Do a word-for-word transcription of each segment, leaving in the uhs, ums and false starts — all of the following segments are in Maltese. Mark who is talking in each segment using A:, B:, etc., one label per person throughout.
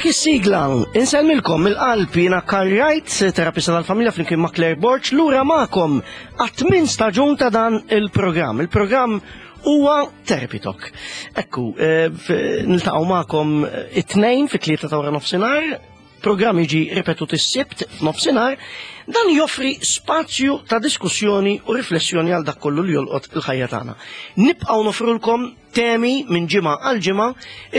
A: B'dik is-sigla, insellmilkom mill-qalb jiena Karl Wright, terapista tal-familja flimkien ma' Claire Borg, lura magħkom għat-tmien staġun ta' dan il-programm. Il-programm huwa Therapy Talk. Ekku, eh, niltaqgħu magħkom it-tnejn fit-tlieta ta' wara nofsinhar, programm jiġi ripetut is-Sibt f'nofsinhar, dan joffri spazju ta' diskussjoni u riflessjoni għal dak kollu li jolqot il-ħajja tagħna. Nibqgħu nofrulkom temi minn ġimgħa għal ġimgħa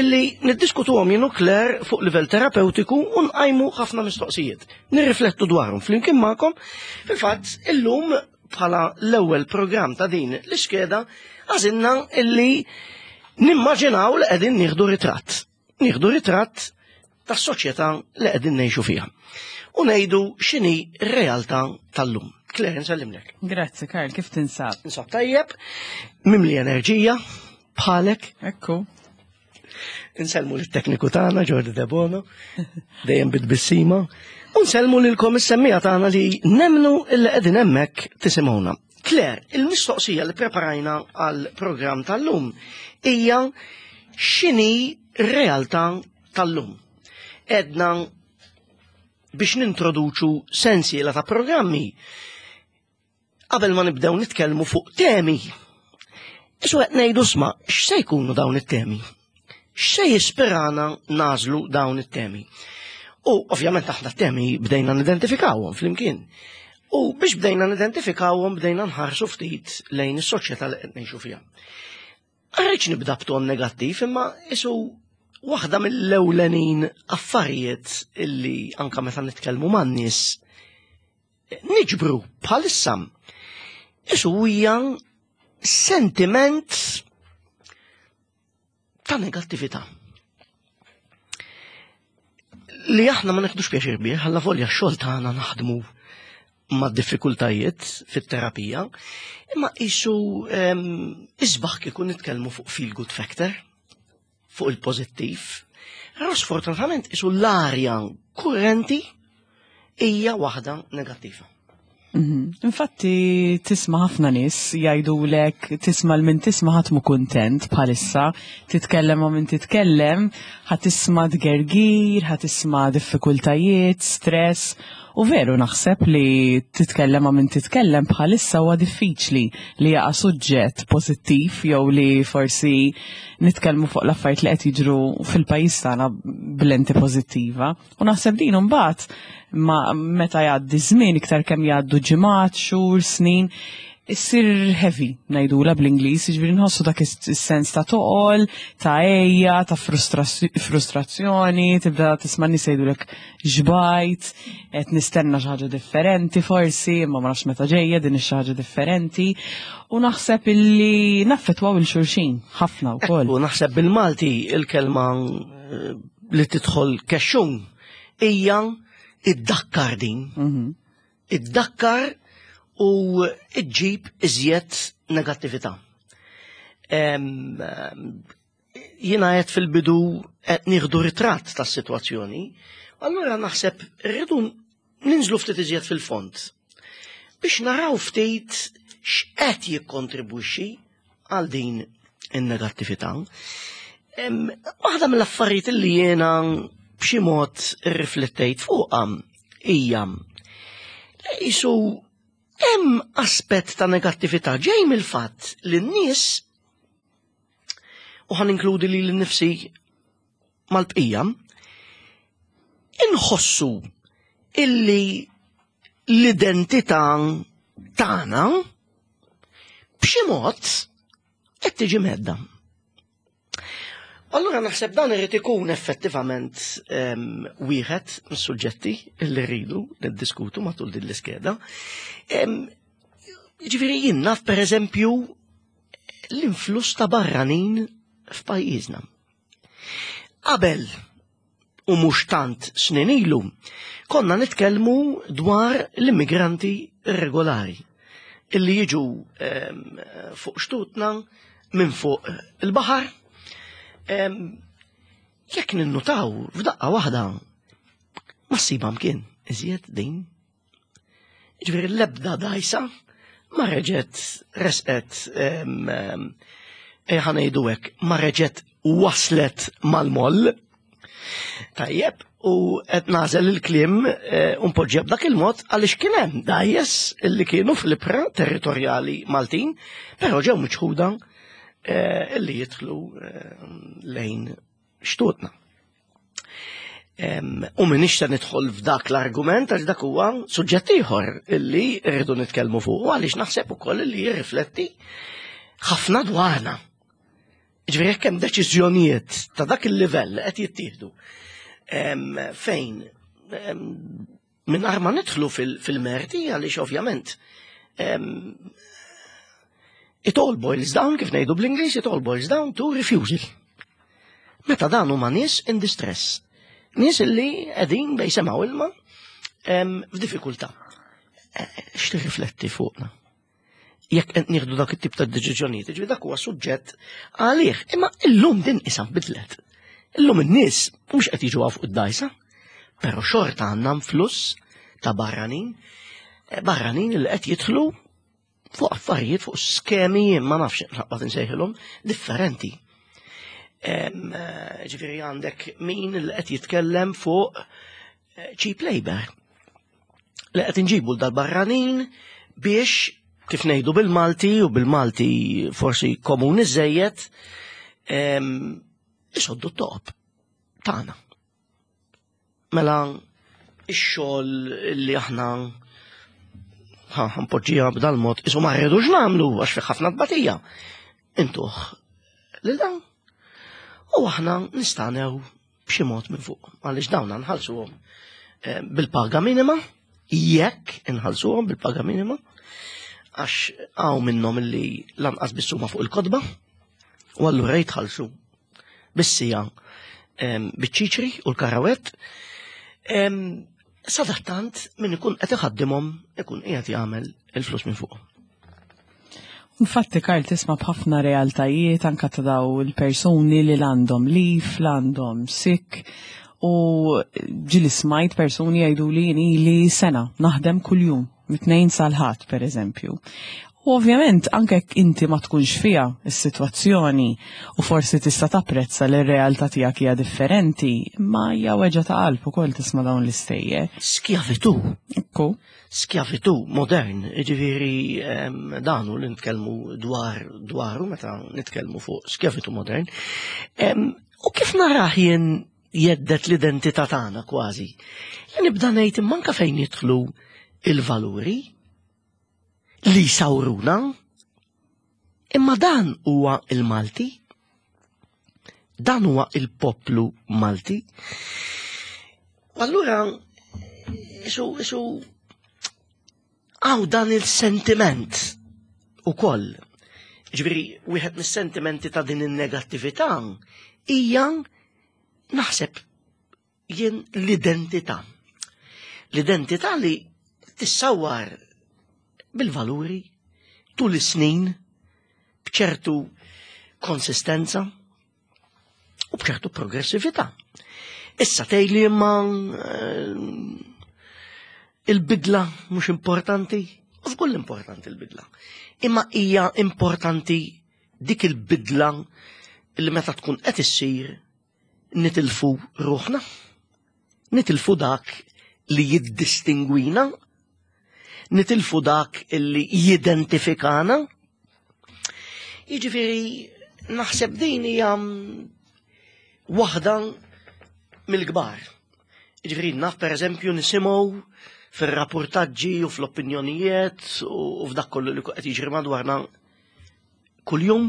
A: illi niddiskutuhom jien u Claire fuq livell terapeutiku u nqajmu ħafna mistoqsijiet. Nirriflettu dwarhom flimkien magħkom. Fil-fatt illum bħala l-ewwel programm ta' din l-iskeda għażilna illi nimmaġinaw li qegħdin nieħdu ritratt. Nieħdu ritratt tas-soċjetà li qegħdin ngħixu fiha. U ngħidu x'inhi r-realtà tal-lum. Claire, nsellimlek.
B: Grazzi, Karl, kif tinsab?
A: Insab tajjeb, mimli enerġija, bħalek.
B: Ekku.
A: Insellmu lit-tekniku tagħna Jordi Debono, dejjem bit-tbissima. U nsellmu lilkom is-semmiegħa tagħna li nemnu illi qegħdin hemmhekk tisimgħuna. Claire, il-mistoqsija li preparajna għal programm tal-lum hija x'inhi r-realtà tal-lum. Edna biex nintroduċu sensiela ta' programmi qabel ma nibdew nitkellmu fuq temi. Isu qed ngħidu sma' x'se jkunu dawn it-temi? X'se jispirana nażlu dawn it-temi? U ovvjament aħna t-temi bdejna nidentifikawhom flimkien. U biex bdejna nidentifikawhom bdejna nħarsu ftit lejn is-soċjetà li qed ngħixu fiha. Rridx nibda b'ton negattiv, imma isu waħda mill-ewlenin affarijiet illi anka meta nitkellmu man-nies niġbru bħalissa isu hija sentiment ta' negattività. Li aħna ma neħdux pjaċir bih, għalla volja x-xogħol tagħna naħdmu ma' diffikultajiet fit-terapija, imma isu isbaħ kieku nitkellmu fuq feel good factor, fuq il-pożittiv. Però sfortunatament isu l-arja kurrenti hija waħda negattiva.
B: Mhm. Infatti tisma' ħafna nies jgħidulek tisma' l min tisma' ħadd mhu kuntent bħalissa, titkellem ma' min titkellem, ħa tisma' tgergir, ħa tisma' diffikultajiet, stress. U veru naħseb li titkellem ma' min titkellem bħalissa huwa diffiċli li jaqa' suġġett pożittiv jew li forsi nitkellmu fuq l-affarijiet li qed jiġru fil-pajjiż tagħna b'lenti pożittiva. U naħseb din imbagħad ma meta jgħaddi żmien iktar kemm jgħaddu ġimgħat, xhur, snin, issir heavy ngħidula bl-Ingliż, jiġifieri nħossu dak is-sens ta' toqol, ta' għeja, ta' frustrazzjoni, tibda tisma' nies jgħidulek xbajt, qed nistenna xi ħaġa differenti forsi, imma ma nafx meta ġejja din ix ħaġa differenti. U naħseb illi naffettwaw lil xulxin ħafna wkoll.
A: U naħseb bil-Malti il-kelma eh, li tidħol kexxun hija iddakkar din.
B: Mhm.
A: Iddakkar u iġġib iżjed negattività. Em, Jiena qed fil-bidu qed nieħdu ritratt tas-sitwazzjoni, allura naħseb rridu ninżlu ftit iżjed fil-fond biex naraw ftit x'qed jikkontribwixxi għal din in-negattività. Em, Waħda mill-affarijiet li jiena b'xi mod irriflettejt fuqha hija li qisu hemm aspett ta' negattività ġej mill-fatt li n-nies u ħa ninkludi lili nnifsi mal-bqija inħossu illi l-identità tagħna b'xi mod qed tiġi mhedda. Allura naħseb dan irid ikun effettivament em, wieħed mis-suġġetti li rridu niddiskutu matul din l-iskeda. Em, Ġifieri jien naf pereżempju l-influss ta' barranin f'pajjiżna. Qabel u mhux tant snin ilu, konna nitkellmu dwar l-immigranti irregolari illi jiġu em, fuq xtutna minn fuq il-baħar. Em, Jekk ninnutaw f'daqqa waħda ma ssibha mkien iżjed din. Ġifieri l-ebda dajsa ma reġgħet resqet em, em, eh, ħa ngħidu hekk, ma reġgħet waslet mal-moll. Tajjeb, u qed nagħżel il-kliem eh, u npoġġiha b'dak il-mod għaliex kien hemm dgħajjes illi kienu fl-ibħra territorjali Maltin, però ġew miċħuda eh, illi jidħlu eh, lejn xtutna. Em, U minix se nidħol f'dak l-argument għax dak huwa suġġett ieħor illi rridu nitkellmu fuq għaliex naħseb ukoll illi jirrifletti ħafna dwarna. Ġifieri jekk hemm deċiżjonijiet ta' dak il-livell li qed jittieħdu em, fejn em, mingħajr ma nidħlu fil- fil-merti għaliex ovvjament em, it all boils down, kif ngħidu bl-Ingliż, it all boils down to refusal. Meta dan huma nies in distress. Nies illi qegħdin bejn sema u ilma em, f'diffikultà. Eh, X'tirrifletti fuqna? Jekk qed nieħdu dak it-tip ta' deċiżjonijiet, ġifieri dak huwa suġġett għalih. Imma illum din isa bidlet. Illum in-nies mhux qed jiġu fuq id-dgħajsa, però xorta għandna fluss ta' barranin, eh, barranin li qed jidħlu fuq affarijiet, fuq skemi, ma nafx naqbad insejħilhom, differenti. Em, eh, Ġifieri għandek min li qed jitkellem fuq eh, cheap labor. Li qed inġibu dal-barranin biex kif ngħidu bil-Malti u bil-Malti forsi komuni żejjed em, isoddu t-toqob tagħna. Mela ix-xogħol li aħna ħa npoġġiha b'dal-mod isu ma rridux nagħmlu għax fi ħafna tbatija. Intuh lil dan. U aħna nistanew b'xi mod minn fuq għaliex dawn nħallsuhom eh, bil-paga minima, jekk inħallsuhom bil-paga minima, għax hawn minnhom illi lanqas biss huma fuq il-kotba, u allura jitħallsu bis-siegħa em, biċ-ċiċri u l-karawett. Em, Sadattant min ikun qed iħaddimhom ikun qiegħed jagħmel il-flus minn fuqhom.
B: Infatti, Karl, tisma' b'ħafna realtajiet anka ta' daw il-persuni li l-għandhom leave, l-għandhom sick, u ġieli smajt persuni jgħidu li li sena naħdem kuljum, mit-tnejn sal-ħadd per eżempju. U ovvjament anke jekk inti ma tkunx fiha is-sitwazzjoni u forsi tista' tapprezza li r-realtà tiegħek hija differenti, ma hija weġgħa ta' qalb ukoll tisma' dawn l-istejjer.
A: Skjavitu,
B: Ekku.
A: skjavitu modern, ġifieri em, danu li nitkellmu dwar dwaru meta nitkellmu fuq skjavitu modern. Em, U kif narah jien jhedded l-identità tagħna kważi. Jien nibda ngħid imma anke fejn jidħlu il-valuri li sawruna, imma dan huwa il-Malti, dan huwa il-poplu Malti. U allura, isu, isu, għaw dan il-sentiment u koll. Ġifieri, wieħed mis-sentimenti ta' din il-negattività hija naħseb jien l-identità. L-identità li tissawar bil-valuri tul is-snin b'ċertu konsistenza u b'ċertu progressività. Issa tgħidli imma eh, il-bidla mhux importanti, u żgur importanti il-bidla. Imma hija importanti dik il-bidla li meta tkun qed issir nitilfu ruħna, nitilfu dak li jiddistingwina, nitilfu dak li jidentifikana. Jiġifieri naħseb din hija waħda mill-kbar. Jiġifieri naf per eżempju nisimgħu fir-rapportaġġi u fl-opinjonijiet u f'dak kollu li qed jiġri madwarna kuljum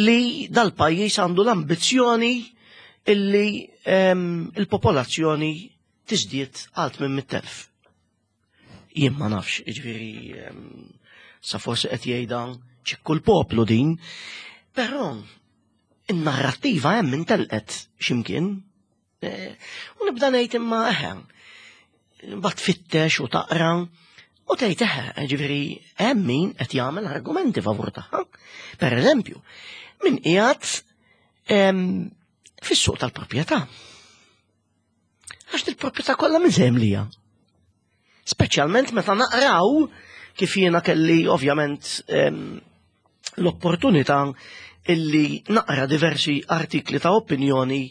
A: li dal-pajjiż għandu l-ambizzjoni illi em, il-popolazzjoni tiżdied għal minn mitt elf. Jien ma nafx, jiġifieri em, sa forsi qed jgħidha ċikku l-poplu din, però in-narrattiva hemm intelqet x'imkien. Eh, U nibda ngħid imma eħe, mbagħad tfittex u taqra u tgħid eħe, ġifieri hemm min qed jagħmel argumenti favur tagħha. Per eżempju, min qiegħed em, fis-suq tal-proprjetà. Għax il-proprjetà kollha minn se jimlija. Speċjalment meta naqraw kif jiena kelli ovvjament em, l-opportunità illi naqra diversi artikli ta' opinjoni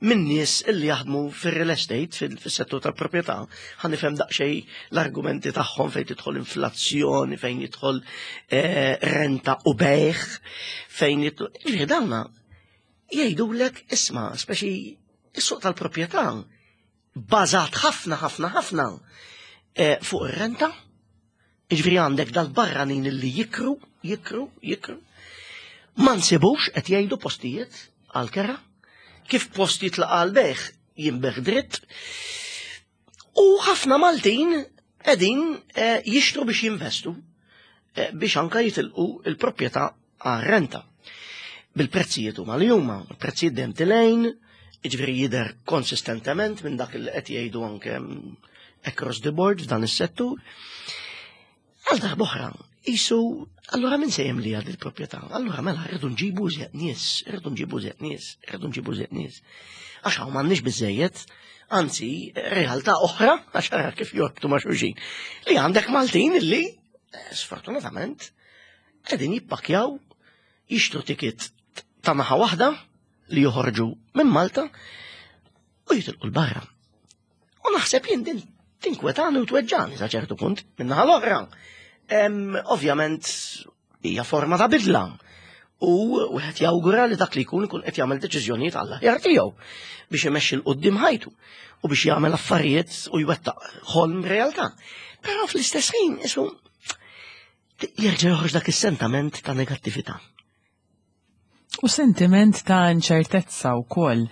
A: minn nies illi jaħdmu fir-real estate, fil-settur tal-proprjetà, ħa nifhem daqsxejn l-argumenti tagħhom fejn tidħol inflazzjoni, fejn jidħol eh, renta u bejgħ, fejn jidħol. Ġifieri dawna jgħidulek isma', speċi is-suq tal-proprjetà bażat ħafna ħafna ħafna eh, fuq ir-renta. Ġifieri għandek dal-barranin illi jikru, jikru, jikru. Ma nsibux, qed jgħidu, postijiet għal-kera, kif post jitlaq għal-bejgħ jinbiegħ dritt. U ħafna Maltin qegħdin eh, jixtru biex jinvestu, eh, biex anka jitilqu il-proprjetà għal-renta. Bil-prezzijiet huma li huma, il-prezzijiet dejjem telgħin, jiġifieri jidher konsistentement minn dak li qed jgħidu anke mm, across the board f'dan is-settur. Għal darb'oħra, jisu, allura min se jimli għad il-proprjetà? Allura mela rridu nġibu iżjed nies, rridu nġibu iżjed nies, rridu nġibu iżjed nies. Għax hawn m'għandniex biżejjed, anzi, realtà oħra, għax ara kif jorbtu ma' xulxin, li għandek Maltin illi, eh, sfortunatament, qegħdin jippakjaw, jixtru ticket ta' naħa waħda li joħorġu minn Malta u jitilqu 'l barra. U naħseb jien din tinkwetani u tweġġani sa ċertu punt minn naħa l-oħra. Em, Ovvjament hija forma ta' bidla. U wieħed jawgura li dak li jkun ikun qed jagħmel deċiżjonijiet għall-aħjar tiegħu biex imexxi 'l quddiem ħajtu u biex jagħmel affarijiet u jwettaq ħolm realtà. Però fl-istess ħin isu jerġa' joħroġ dak is-sentiment ta' negattività.
B: U sentiment ta' inċertezza wkoll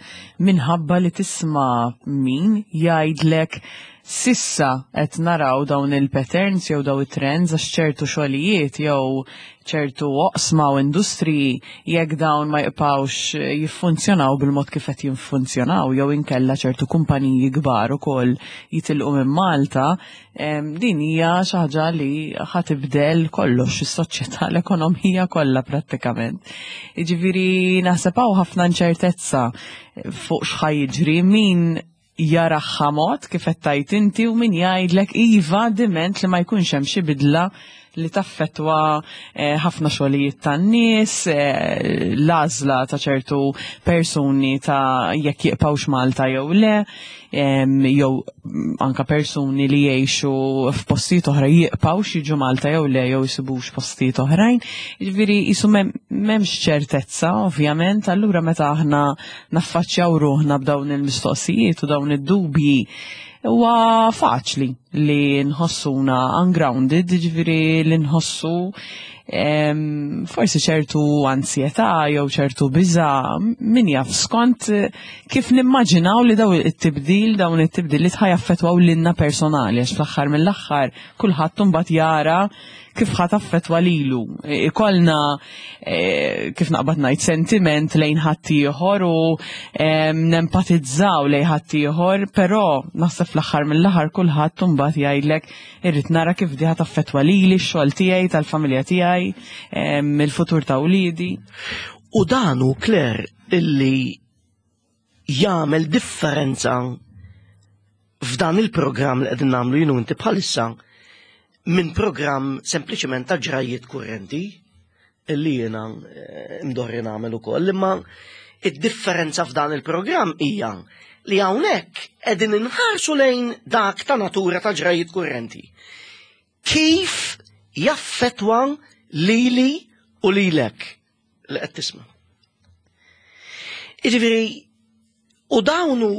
B: minħabba li tisma' min jgħidlek s'issa qed naraw dawn il-patterns jew dawn it-trends, għax ċertu xogħlijiet jew ċertu oqsma u industriji, jekk dawn ma jibqgħux jiffunzjonaw bil-mod kif qed jiffunzjonaw jew inkella ċertu kumpaniji kbar ukoll jitilqu minn Malta, em, din hija xi ħaġa li ħa tibdel kollox, is-soċjetà, l-ekonomija kollha prattikament. Jiġifieri naħseb hawn ħafna inċertezza fuq x'ħa jiġri, min jaraha mod kif qed tgħid inti u min jgħidlek iva, diment li ma jkunx hemm xi bidla li taffetwa eh, ħafna xogħlijiet tan-nies, eh, l-għażla ta' ċertu persuni ta' jekk jibqgħux Malta jew le, em, jew mm, anka persuni li jgħixu f'postijiet oħra jibqgħux jiġu Malta jew le, jew jsibux postijiet oħrajn. Jiġifieri jisu m'hemmx ċertezza, ovvjament, allura meta aħna naffaċċjaw ruħna b'dawn il-mistoqsijiet u dawn id-dubji, huwa faċli li nħossuna ungrounded, ġifieri li nħossu em, forsi ċertu ansjetà jew ċertu biża, min jaf, skont eh, kif nimmaġinaw li daw it-tibdil, dawn it-tibdil li ħa jaffettwaw lilna personali, għax fl-aħħar mill-aħħar kulħadd mbagħad jara kif ħa taffettwa lilu. Ikollna, eh, kif naqbad ngħid, sentiment lejn ħaddieħor u em, nempatizzaw lejn ħaddieħor, però naħseb fl-aħħar mill-aħħar kulħadd mbagħad jgħidlek irrid nara kif di ħa taffettwa lili, x-xogħol tiegħi, tal-familja tiegħi, em, il-futur ta' wliedi.
A: U dan hu, Claire, illi jagħmel differenza f'dan il-programm li qegħdin nagħmlu jien u inti bħalissa minn programm sempliċement ta' ġrajiet kurrenti illi jiena eh, mdorri nagħmel ukoll, imma id-differenza f'dan il-programm hija li hawnhekk qegħdin inħarsu lejn dak ta' natura ta' ġrajiet kurrenti. Kif jaffetwa lili u lilek li qed tisma'? Jiġifieri, u dawnu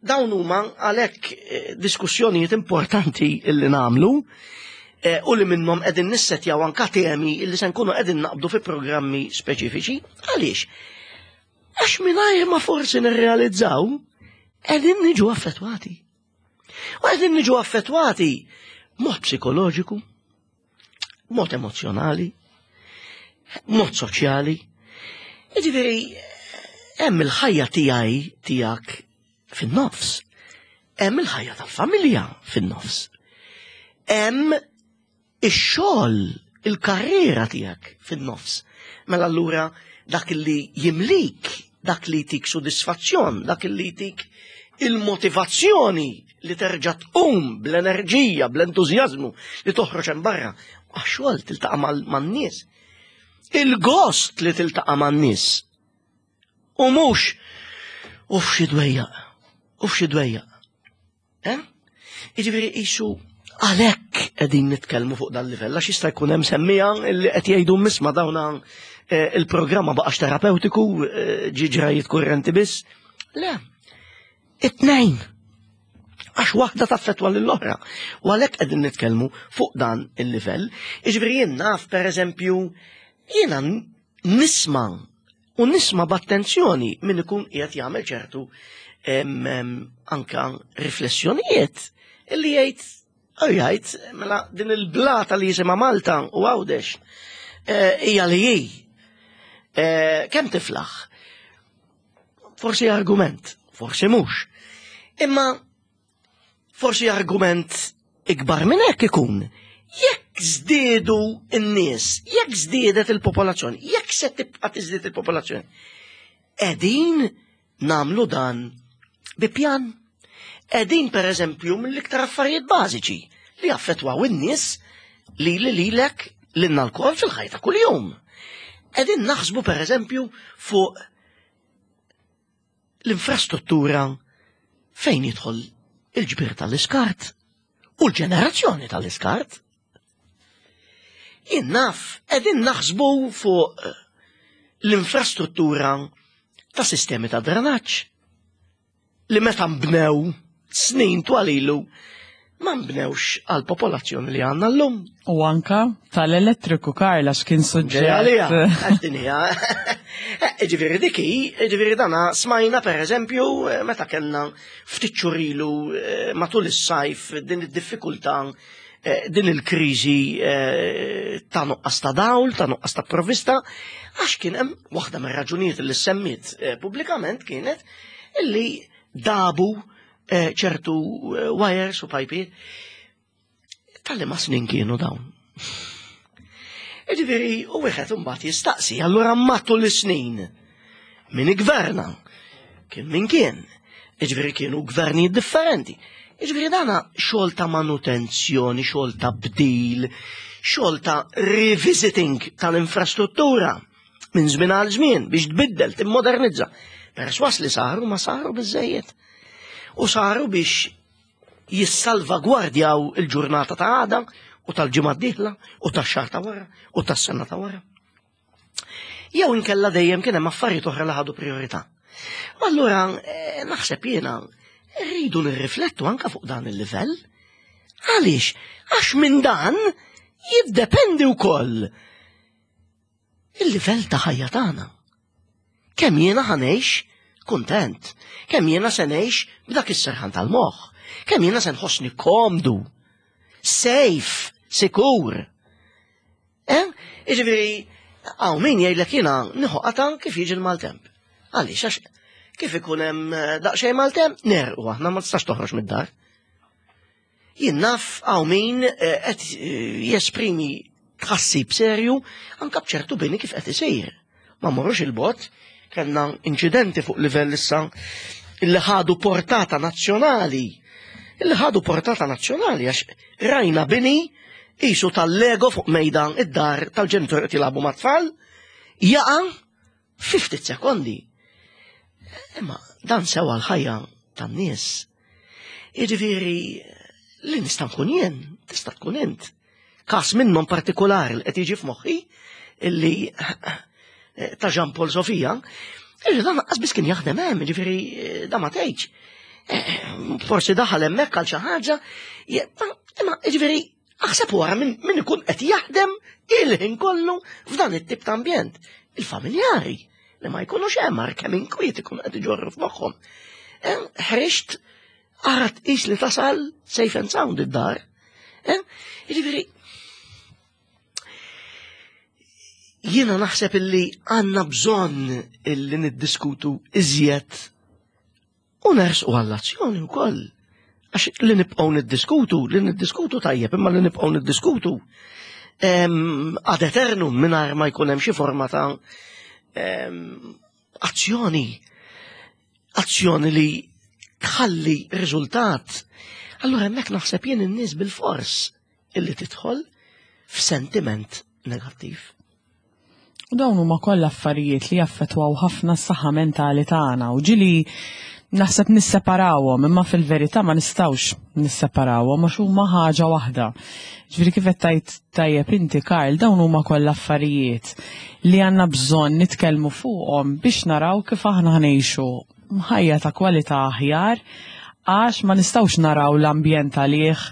A: dawn huma għalhekk eh, diskussjonijiet importanti illi nagħmlu eh, u li minnhom qegħdin nissetjaw anka temi illi se nkunu qegħdin naqbdu fi programmi speċifiċi. Għaliex? Għax mingħajr ma forsi nirrealizzaw qegħdin niġu affettwati. U qegħdin niġu affettwati mod psikoloġiku, mod emozjonali, mod soċjali. Jiġifieri, hemm il-ħajja tiegħi, tiegħek fin-nofs. Hemm il-ħajja tal-familja fin-nofs. Hemm ix-xogħol, il-karriera tiegħek fin-nofs. Mela allura dak li jimlik, dak li jtik sodisfazzjon, dak li jtik il-motivazzjoni li terġa' tqum bl-enerġija, bl-entużjażmu li toħroġ hemm barra. Għax-xogħol tiltaqa' man-nies. Il-gost li tiltaqa' man-nies. U mhux Uf xi dwejjaq, uf xi dwejjaq. Eh? Jiġifieri qisu għalhekk qegħdin nitkellmu fuq dan livell għax jista' jkun hemm semmija li qed jgħidu misma dawna eh, il-programma baqax terapeutiku, eh, ġi ġrajiet kurrenti biss. Le, it-tnejn. Għax waħda taffetwa lill-oħra. U għalhekk qegħdin nitkellmu fuq dan il-livell. Jiġifieri jien naf pereżempju jiena nisma' u nisma' b'attenzjoni min ikun qiegħed jagħmel ċertu em, em, anka riflessjonijiet illi jgħid u jgħid mela din il-blata li jisimha Malta u Għawdex eh, hija li hi. Eh, Kemm tiflaħ? Forsi argument, forsi mhux. Imma forsi argument ikbar minn hekk ikun. Jekk żdiedu n-nies, jekk żdiedet il-popolazzjoni, jekk se tibqa' tiżdied il-popolazzjoni, qegħdin nagħmlu dan bi pjan. Qegħdin pereżempju mill-iktar affarijiet bażiċi li jaffettwaw in-nies li li lilek lilna lkoll fil-ħajja ta' kuljum. Qegħdin naħsbu pereżempju fuq l-infrastruttura fejn jidħol il-ġbir tal-iskart u l-ġenerazzjoni tal-iskart. Jien naf, qegħdin naħsbu fuq l-infrastruttura ta' sistemi ta' drenaġġ li meta nbnew snin twal ilu ma nbnewx għal popolazzjoni li għandna llum.
B: U anka tal-elettriku, Karla, x'kien
A: Ġejalija,
B: suġġett.
A: għaddinija. Ġifieri diki, ġifieri dana smajna per eżempju eh, meta kellna ftit xhur ilu eh, matul is-sajf din id-diffikultà eh, din il-kriżi eh, ta' nuqqas ta' dawl, ta' nuqqas ta' provvista, għax kien hemm waħda mir-raġunijiet li semmiet eh, pubblikament kienet illi dabu eh, ċertu eh, wires u pajpi tal-li ma snin kienu dawn. Ġifieri, u wieħed imbagħad jistaqsi, allura matul is-snin min igverna, kien min kien, ġifieri kienu gvernijiet differenti. Ġifieri dana xogħol ta' manutenzjoni, xogħol ta' bdil, xogħol ta' revisiting tal-infrastruttura minn żmien għal żmien biex tbiddel, timmodernizza. Perswas li saru ma saru biżejjed. U saru biex jissalvagwardjaw il-ġurnata ta' għada u tal-ġimgħa d-dieħla u tax-xahar ta' wara u tas-sena ta' wara. Jew inkella dejjem kien hemm affarijiet oħra li ħadu priorità. U allura eh, naħseb jiena rridu nirriflettu anka fuq dan il-livell. Għaliex? Għax minn dan jiddependi wkoll il-livell ta' ħajja tagħna. Kemm jiena ħa ngħix kuntent, kemm jiena se ngħix b'dak is-serħan tal-moħħ, kemm jiena se nħossni komdu, safe, sikur. Eh? Jiġifieri, hawn min jgħidlek jiena nieħu qata kif jiġi l-maltemp. Għaliex, għax kif ikun hemm eh, daqsxejn maltemp, nerqu aħna ma tistax toħroġ mid-dar. Jien naf hawn min eh, qed eh, jesprimi tħassib serju anka b'ċertu bini kif qed isir. Ma mmorrux il-bogħod, kellna inċidenti fuq livell issa illi ħadu portata nazzjonali. Illi ħadu portata nazzjonali għax rajna bini qisu tal-Lego fuq mejda id-dar tal-ġenitur qed jilagħbu mat-tfal, jaqa' fi ftit sekondi. Imma dan sewa l-ħajja tan-nies. Jiġifieri li nista' nkun jien, tista' tkun int. Kas minnhom partikolari li qed jiġi f'moħħi illi eh, ta' Jean Paul Sofia, illi dan lanqas biss kien jaħdem hemm, jiġifieri eh, da ma tgħidx. Eh, Forsi daħal hemmhekk għal xi ħaġa, je- imma jiġifieri aħseb wara min min ikun qed jaħdem il-ħin kollu f'dan it-tip ta' ambjent. Il-familjari li ma jkunux hemm ar kemm inkwiet ikun qed iġorru f'moħħhom. Eh, Ħriġt ara tqis li tasal safe and sound id-dar. Eh, Jiġifieri jiena naħseb illi għandna bżonn illi niddiskutu iżjed u nersqu għall-azzjoni wkoll. Għax li nibqgħu niddiskutu, li niddiskutu tajjeb, imma li nibqgħu niddiskutu em, ad eternum mingħajr ma jkun hemm xi forma ta' em, azzjoni. Azzjoni li tħalli riżultat. Allura hemmhekk naħseb jien in-nies bil-fors illi tidħol f'sentiment negattiv.
B: U dawn huma kollha affarijiet li jaffettwaw ħafna s-saħħa mentali tagħna u ġieli naħseb nisseparawhom, imma fil-verità ma nistgħux nisseparawhom għax huma ħaġa waħda. Ġifieri kif qed tajt tajjeb inti, Karl, dawn huma kollha affarijiet li għandna bżonn nitkellmu fuqhom biex naraw kif aħna ħa ngħixu ħajja ta' kwalità aħjar, għax ma nistgħux naraw l-ambjent għalih,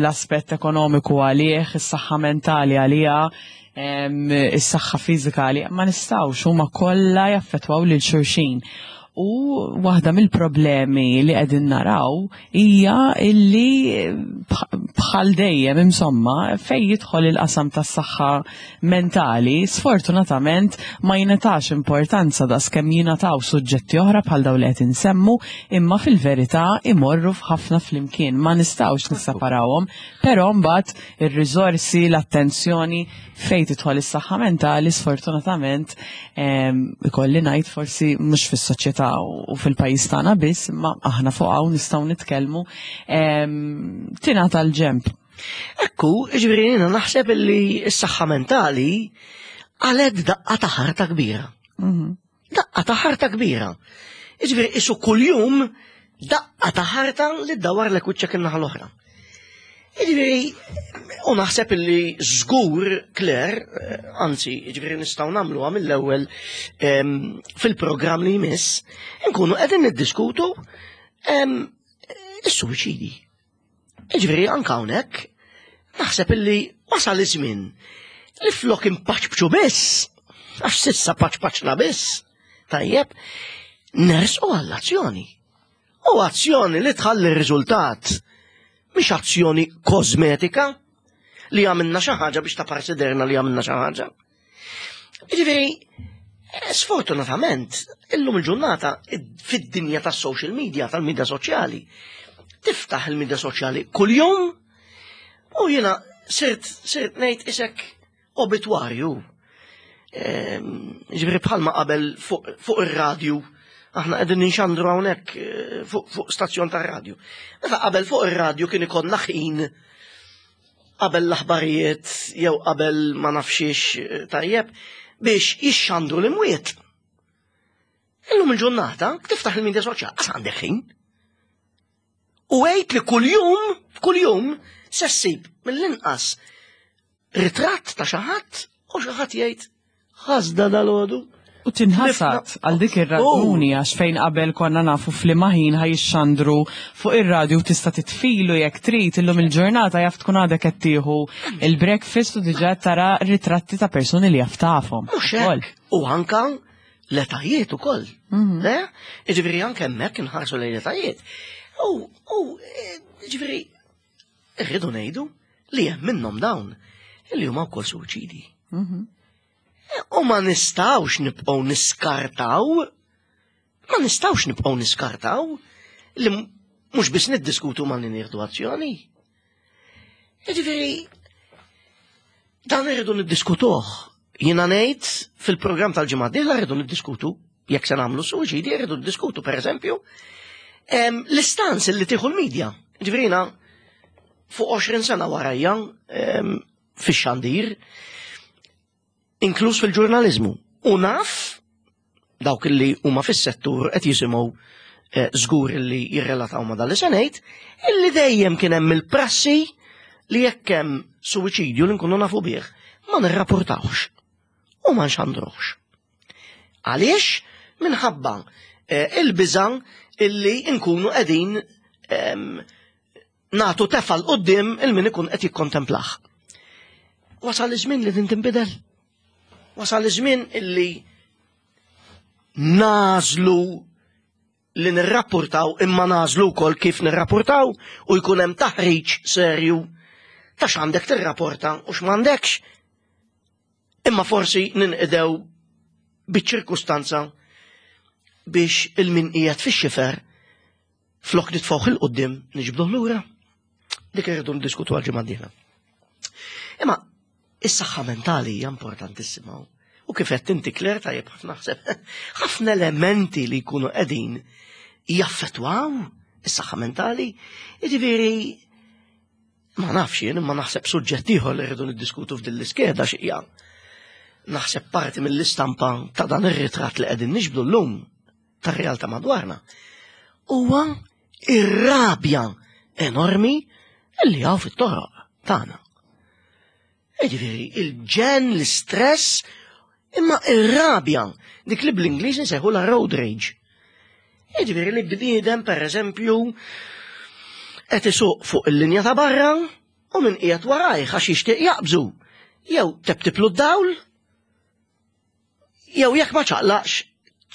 B: l-aspett ekonomiku għalih, is-saħħa mentali għaliha, is-saħħa fiżika għaliha, ma nistgħux, huma kollha jaffettwaw lil xulxin. U waħda mill-problemi li qegħdin naraw hija illi bħal dejjem, insomma, fej jidħol il-qasam tas-saħħa mentali, sfortunatament ma jingħatax importanza da skemm jingħataw suġġetti oħra bħal dawn li qed insemmu, imma fil-verità imorru f'ħafna flimkien, ma nistgħux nisseparawhom, però mbagħad ir-riżorsi, l-attenzjoni fejn tidħol is-saħħa mentali, sfortunatament ikolli ngħid forsi mhux fis-soċjetà u fil-pajjiż tagħna biss, imma aħna fuq hawn nistgħu nitkellmu, tingħata l-ġemp.
A: Ekku, ġifieri jiena naħseb li s-saħħa mentali għaled daqqa ta' ħarta kbira.
B: Mhm.
A: Daqqa ta' ħarta kbira. Ġifieri isu kuljum daqqa ta' ħarta li ddawar lek wiċċek in-naħa l-oħra. Ġifieri, u naħseb illi żgur, Claire, eh, anzi, ġifieri nistgħu nagħmluha mill-ewwel em, fil-programm li jmiss, nkunu qegħdin niddiskutu em, is-suwiċidi. Ġifieri anke hawnhekk naħseb illi wasal iż-żmien li flok impaċpċu biss, għax s'issa paċpaċna biss, tajjeb, nersqu għall-azzjoni. U azzjoni li tħalli r-riżultat, mhix azzjoni kosmetika li għamilna xi ħaġa biex ta' parsiderna li għamilna xi ħaġa. Ġifieri, eh, sfortunatament, illum il-ġurnata fid-dinja tas-social media, tal-media soċjali, tiftaħ il-media soċjali kuljum u jiena sirt sirt ngħid isek obitwarju. Ehm, Ġifieri bħalma qabel fuq fuq ir-radju, aħna qegħdin ninxandru hawnhekk eh, fuq fuq stazzjon tar-radju. Meta qabel fuq ir-radju kien ikollna ħin qabel l-aħbarijiet jew qabel ma nafxiex eh, tajjeb biex jixxandru l-imwiet. Illum il-ġurnata tiftaħ il-media soċjali, għas għandek ħin. U għejt li kuljum, kuljum, se ssib mill-inqas ritratt ta' xi ħadd u xi ħadd jgħid ħasda dalgħodu.
B: U tinħasad għal dik ir-raġuni għax fejn qabel konna nafu f'liema ħin ħa jixxandru fuq ir-radju tista' titfilu jekk trid, illum il-ġurnata jaf tkun għadek qed tieħu il-breakfast u diġà tara ritratti ta' persuni li jaf tafhom.
A: Mhux hekk. U anka l-etajiet ukoll. Le? Ġifieri anke hemmhekk inħarsu lejn l-etajiet. U u eh, ġifieri irridu ngħidu li hemm minnhom dawn li huma wkoll suwiċidi. U ma nistgħux nibqgħu niskartaw, ma nistgħux nibqgħu niskartaw li mhux biss niddiskutu ma nieħdu azzjoni. Ġifieri, dan irridu niddiskutuh. Jiena ngħid fil-programm tal-ġimgħa d-dieħla rridu niddiskutu jekk se nagħmlu suwiċidi, rridu niddiskutu pereżempju l-istance li tieħu l-medja. Ġifieri jiena fuq għoxrin sena warajja fix-xandir, inkluż fil-ġurnalizmu. U naf dawk li huma fis-settur qed jisimgħu eh, żgur li jirrelataw ma' dan li se ngħid, illi dejjem kien hemm il-prassi li jekk hemm suwiċidju li nkunu nafu bih, ma nirrapportawx u ma nxandruhx. Għaliex? Minħabba eh, il-biża illi nkunu qegħdin em, nagħtu tefa 'l quddiem lil min ikun qed jikkontemplah. Wasal iż-żmien li din tinbidel. Wasal iż-żmien illi nagħżlu li nirrapportaw, imma nagħżlu wkoll kif nirrapportaw u jkun hemm taħriġ serju ta' x'għandek tirrapporta u x'm'għandekx. Imma forsi ninqdew biċ-ċirkustanza biex il-min qiegħed fix-xifer flok nitfgħuh 'il quddiem niġbduh lura. Dik irridu ndiskutu għal ġimgħa d-dieħla. Imma is-saħħa mentali hija importantissima. U kif qed inti, Claire, tajjeb ħafna naħseb ħafna elementi li jkunu qegħdin jaffettwaw is-saħħa mentali. Jiġifieri ma nafx jien, imma naħseb suġġett ieħor li rridu niddiskutu f'din l-iskeda x'hija. Naħseb parti mill-istampa ta' dan ir-ritratt li qegħdin niġbdu llum tar-realtà madwarna huwa ir-rabja enormi li hawn fit-toroq tagħna. Jiġifieri il-ġenn, l-istress, imma ir-rabja, dik li bl-Ingliż nsejħu la road rage. Jiġifieri li bniedem, pereżempju, qed isuq fuq il-linja ta' barra u min qiegħed warajh għax jixtieq jaqbżu. Jew teptiplu d-dawl, jew jekk ma ċaqlaqx,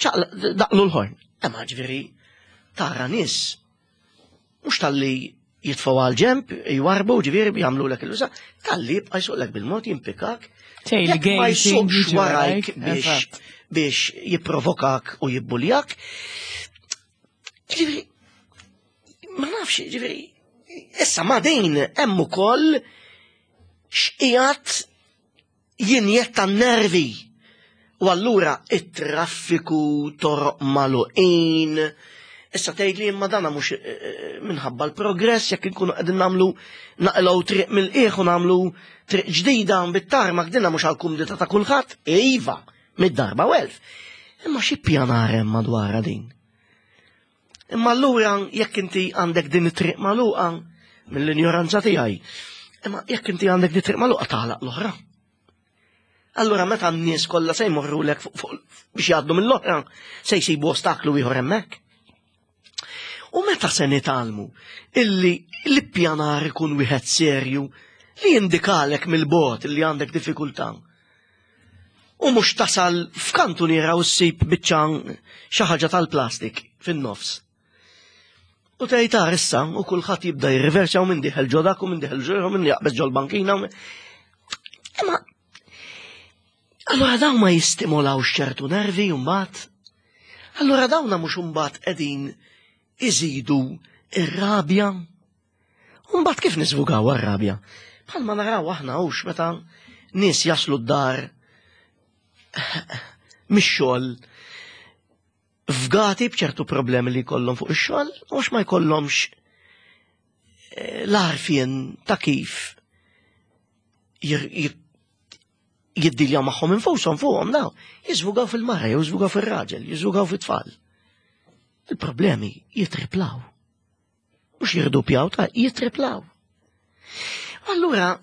A: ċaqlaq daqlu l-ħorn. Imma ġifieri tara nies mhux talli jitfgħu għal ġemp, jwarbu, ġifieri jagħmlulek il-uża, talli jibqa' jsuqlek bil-mod, jimpikak. Jekk ma jsuqx warajk biex biex jipprovokak u jibbuljak. Ġifieri, ma nafx, ġifieri, issa ma din hemm ukoll x'qiegħed jinjetta nervi. U allura it-traffiku, toroq magħluqin. Issa tgħid li imma dana mhux eh, eh, minħabba l-progress, jekk inkunu qegħdin nagħmlu naqilgħu triq mill-qiegħ u nagħmlu triq ġdida bit-tarmak, dinna mhux għall-kumdità ta' kulħadd. Iva, mid-darba u elf. Imma xi pjanar hemm madwarha din? Imma allura jekk inti għandek din it-triq magħluqa, mill-injoranza tiegħi, imma jekk inti għandek din it-triq magħluqa, tagħlaq l-oħra. Allura meta n-nies kollha se jmorrulek biex jgħaddu mill-oħra, se jsibu ostaklu ieħor hemmhekk. U meta se nitgħallmu illi l-ippjanar ikun wieħed serju li jindikalek mill-bogħod illi għandek diffikultà? U mhux tasal f'kantuniera u ssib biċċa xi ħaġa tal-plastik fin-nofs. U tgħid issa u kulħadd jibda jirriversja u minn dieħel ġo dak u minn dieħel ġo u minn jaqbeż ġol-bankina. Imma allura dawn ma jistimolawx ċertu nervi mbagħad? Allura dawna mhux imbagħad qegħdin iżidu ir-rabja? U mbagħad kif niżvugaw ar-rabja? Bħalma naraw aħna hux meta nies jaslu d-dar mix-xogħol fgati b'ċertu problemi li jkollhom fuq ix-xogħol, u ma jkollhomx eh, l-għarfien ta' kif jiddiljaw magħhom infushom fuqhom daw. Jiżvugaw fil-mara, jiżvugaw fil-raġel, jiżvugaw fit-tfal. Il-problemi jitriplaw. Mhux jirdupjaw, ta' jitriplaw. Allura,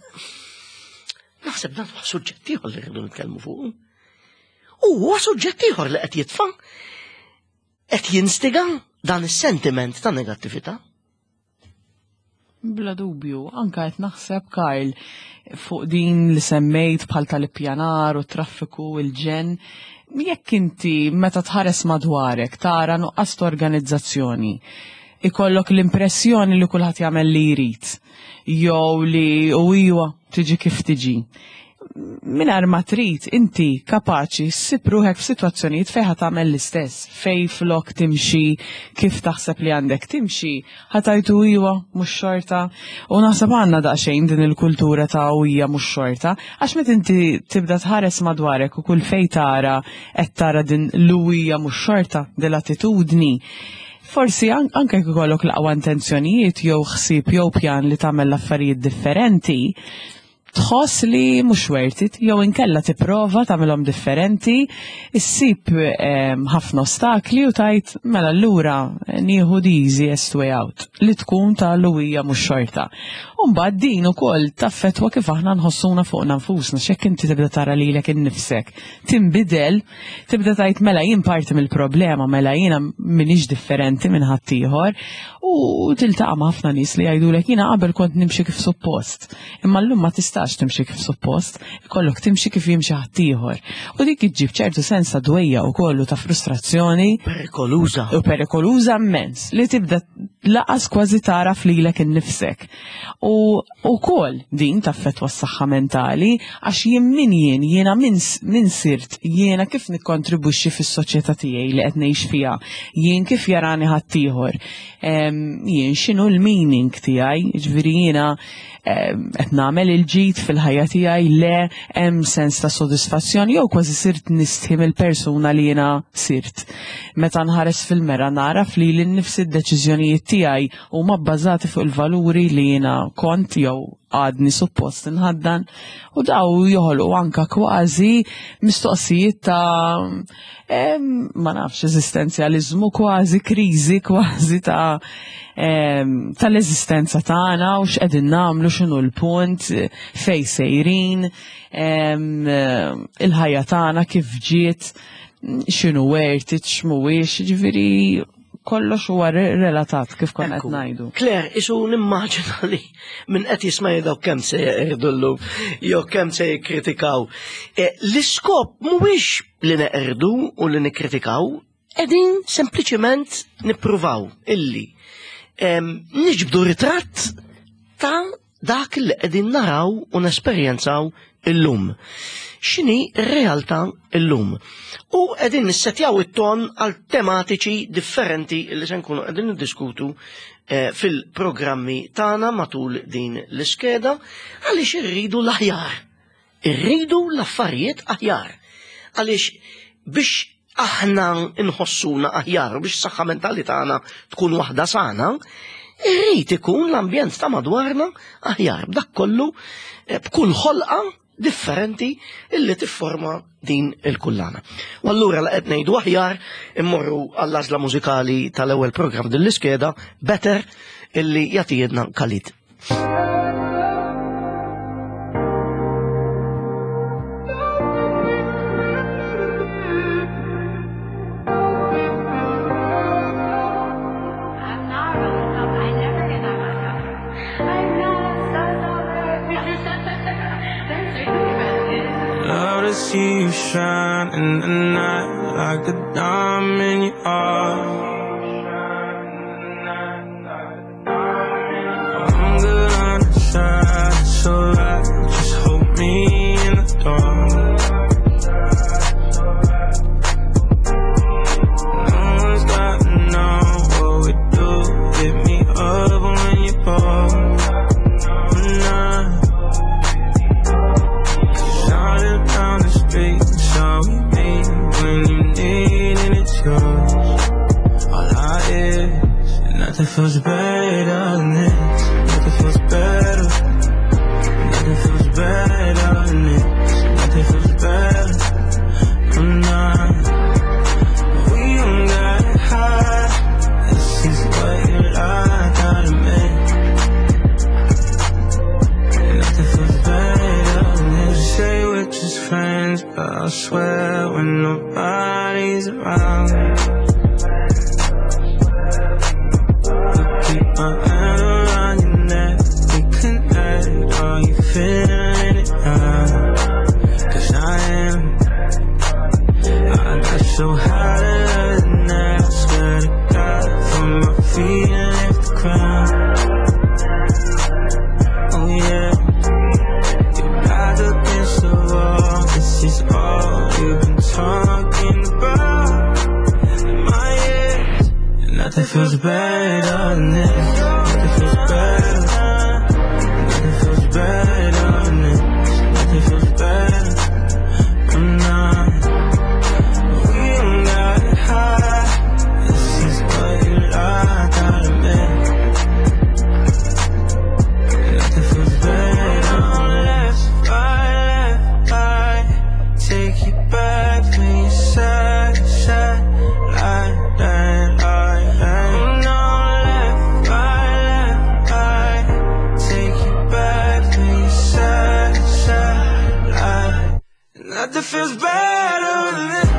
A: naħseb dan huwa suġġett ieħor li rridu nitkellmu fuq. U huwa suġġett ieħor li qed jitfa' qed jinstiga dan is-sentiment ta' negattività.
B: Bla dubju, anka qed naħseb, Karl, fuq din li semmejt bħal tal-ippjanar u traffiku, il-ġenn, jekk inti meta tħares madwarek tara nuqqas organizzazzjoni, ikollok l-impressjoni li kulħadd jagħmel li jrid, jew li u iwa tiġi kif tiġi. Mingħajr ma trid, inti kapaċi ssib ruħek f'sitwazzjonijiet fejn ħa tagħmel l-istess, fejn flok timxi kif taħseb li għandek timxi, ħa tgħid iwa mhux xorta. U naħseb għandna daqsxejn din il-kultura ta' hija mhux xorta, għax meta inti tibda tħares madwarek u kull fejn tara qed tara din l-hija mhux xorta, din l-attitudni. Forsi anke jekk ikollok l-aqwa intenzjonijiet jew ħsieb jew pjan li tagħmel l-affarijiet differenti, tħoss li mhux worth it, jew inkella tipprova tagħmilhom differenti, issib ħafna ostakli u tgħid mela allura nieħu the easiest way out, li tkun ta' l-hija mhux xorta. U mbagħad din ukoll taffetwa kif aħna nħossuna fuqna nfusna, x'hekk inti tibda tara lilek innifsek tinbidel, tibda tgħid mela jien parti mill-problema, mela jiena m'iniex differenti minn ħaddieħor, u tiltaqa' ma' ħafna nies li jgħidulek jiena qabel kont nimxi kif suppost, imma llum ma tistax timxi kif suppost, ikollok timxi kif jimxi ħaddieħor. U dik iġġib ċertu sens ta' dwejja u kollu ta' frustrazzjoni.
A: Perikoluża.
B: U perikoluża immens, li tibda laqas kważi taraf lilek innifsek. U wkoll din taffettwa s-saħħa mentali, għax jien min jien, jiena min, min sirt, jiena kif nikkontribwixxi fis-soċjetà tiegħi li qed ngħix fiha, jien kif jarani ħaddieħor, jien x'inhu l-meaning tiegħi, jiġifieri jiena qed nagħmel il-ġid fil-ħajja tiegħi, le hemm sens ta' sodisfazzjon jew kważi sirt nistħi mill-persuna li jiena sirt. Meta nħares fil-mera naraf li lil nifsi d-deċiżjonijiet tiegħi huma bbażati fuq il-valuri li jiena kont jew għadni suppost nħaddan, u daw joħolqu anka kważi mistoqsijiet ta' em, ma nafx, eżistenzjaliżmu kważi, kriżi kważi ta' em, tal-eżistenza tagħna u x'qegħdin nagħmlu, x'inhu l-punt, fej sejrin, em, il-ħajja tagħna kif ġiet, x'inhu worth it, x'mhuwiex, ġifieri kollox huwa re- relatat kif konna qed
A: Ekku.
B: ngħidu.
A: Claire, isu nimmaġina li minn qed jisma' jgħidu kemm se jeqirdu jew kemm se jikkritikaw. E, L-iskop mhuwiex li neqirdu u li nikkritikaw, qegħdin sempliċement nippruvaw illi em, niġbdu ritratt ta' dak li qegħdin naraw u nesperjenzaw illum. X'inhi r-realtà illum? U qegħdin nissetjaw it-ton għal tematiċi differenti li se nkunu qegħdin niddiskutu eh, fil-programmi tagħna matul din l-iskeda għaliex irridu l-aħjar. Irridu l-affarijiet aħjar. Għaliex biex aħna nħossuna aħjar, biex saħħa mentali tagħna tkun waħda sana, irrid ikun l-ambjent ta' madwarna aħjar. B'dak kollu, eh, b'kull ħolqa differenti illi tifforma din il-kullana. U allura la qed ngħidu aħjar immorru għall-għażla mużikali tal-ewwel programm din l-iskeda Better illi jagħtijedna Khalid.
C: I'm not rolling up. I never get that messed up. I'm not. I'm so sorry. They're super
D: Love to see you shine in the night like a diamond you are. I'm good on the side, it's alright. Just hold me in the dark. No one's got to know what we do. Hit me up when you call. Nah. Started down the street, so we meet when you need it, it's yours. All I is, and nothing feels better than this. Nothing feels better. Nothing feels better than this. Nothing feels better. I'm not. We don't gotta hide. This is what you like, I admit. Nothing feels better than this. Say we're just friends, but I swear when nobody's around. I keep my hand around your neck. We connect. Are you feeling it now? 'Cause I am. I got so high the night. I swear to God, from my feet and lift the crown. Oh yeah. You're back against the wall. This is all you've been talking about in my ears. And nothing feels better than this. Nothing feels better. Nothing feels better than this. Nothing feels better. I'm not. We don't gotta hide. This is what you like, I admit. Nothing feels better. Left, right, left, right. Take you back when you said, said, like that, like that. No, left, right, left, right. Take you back when you said, said, like. Nothing feels better than this.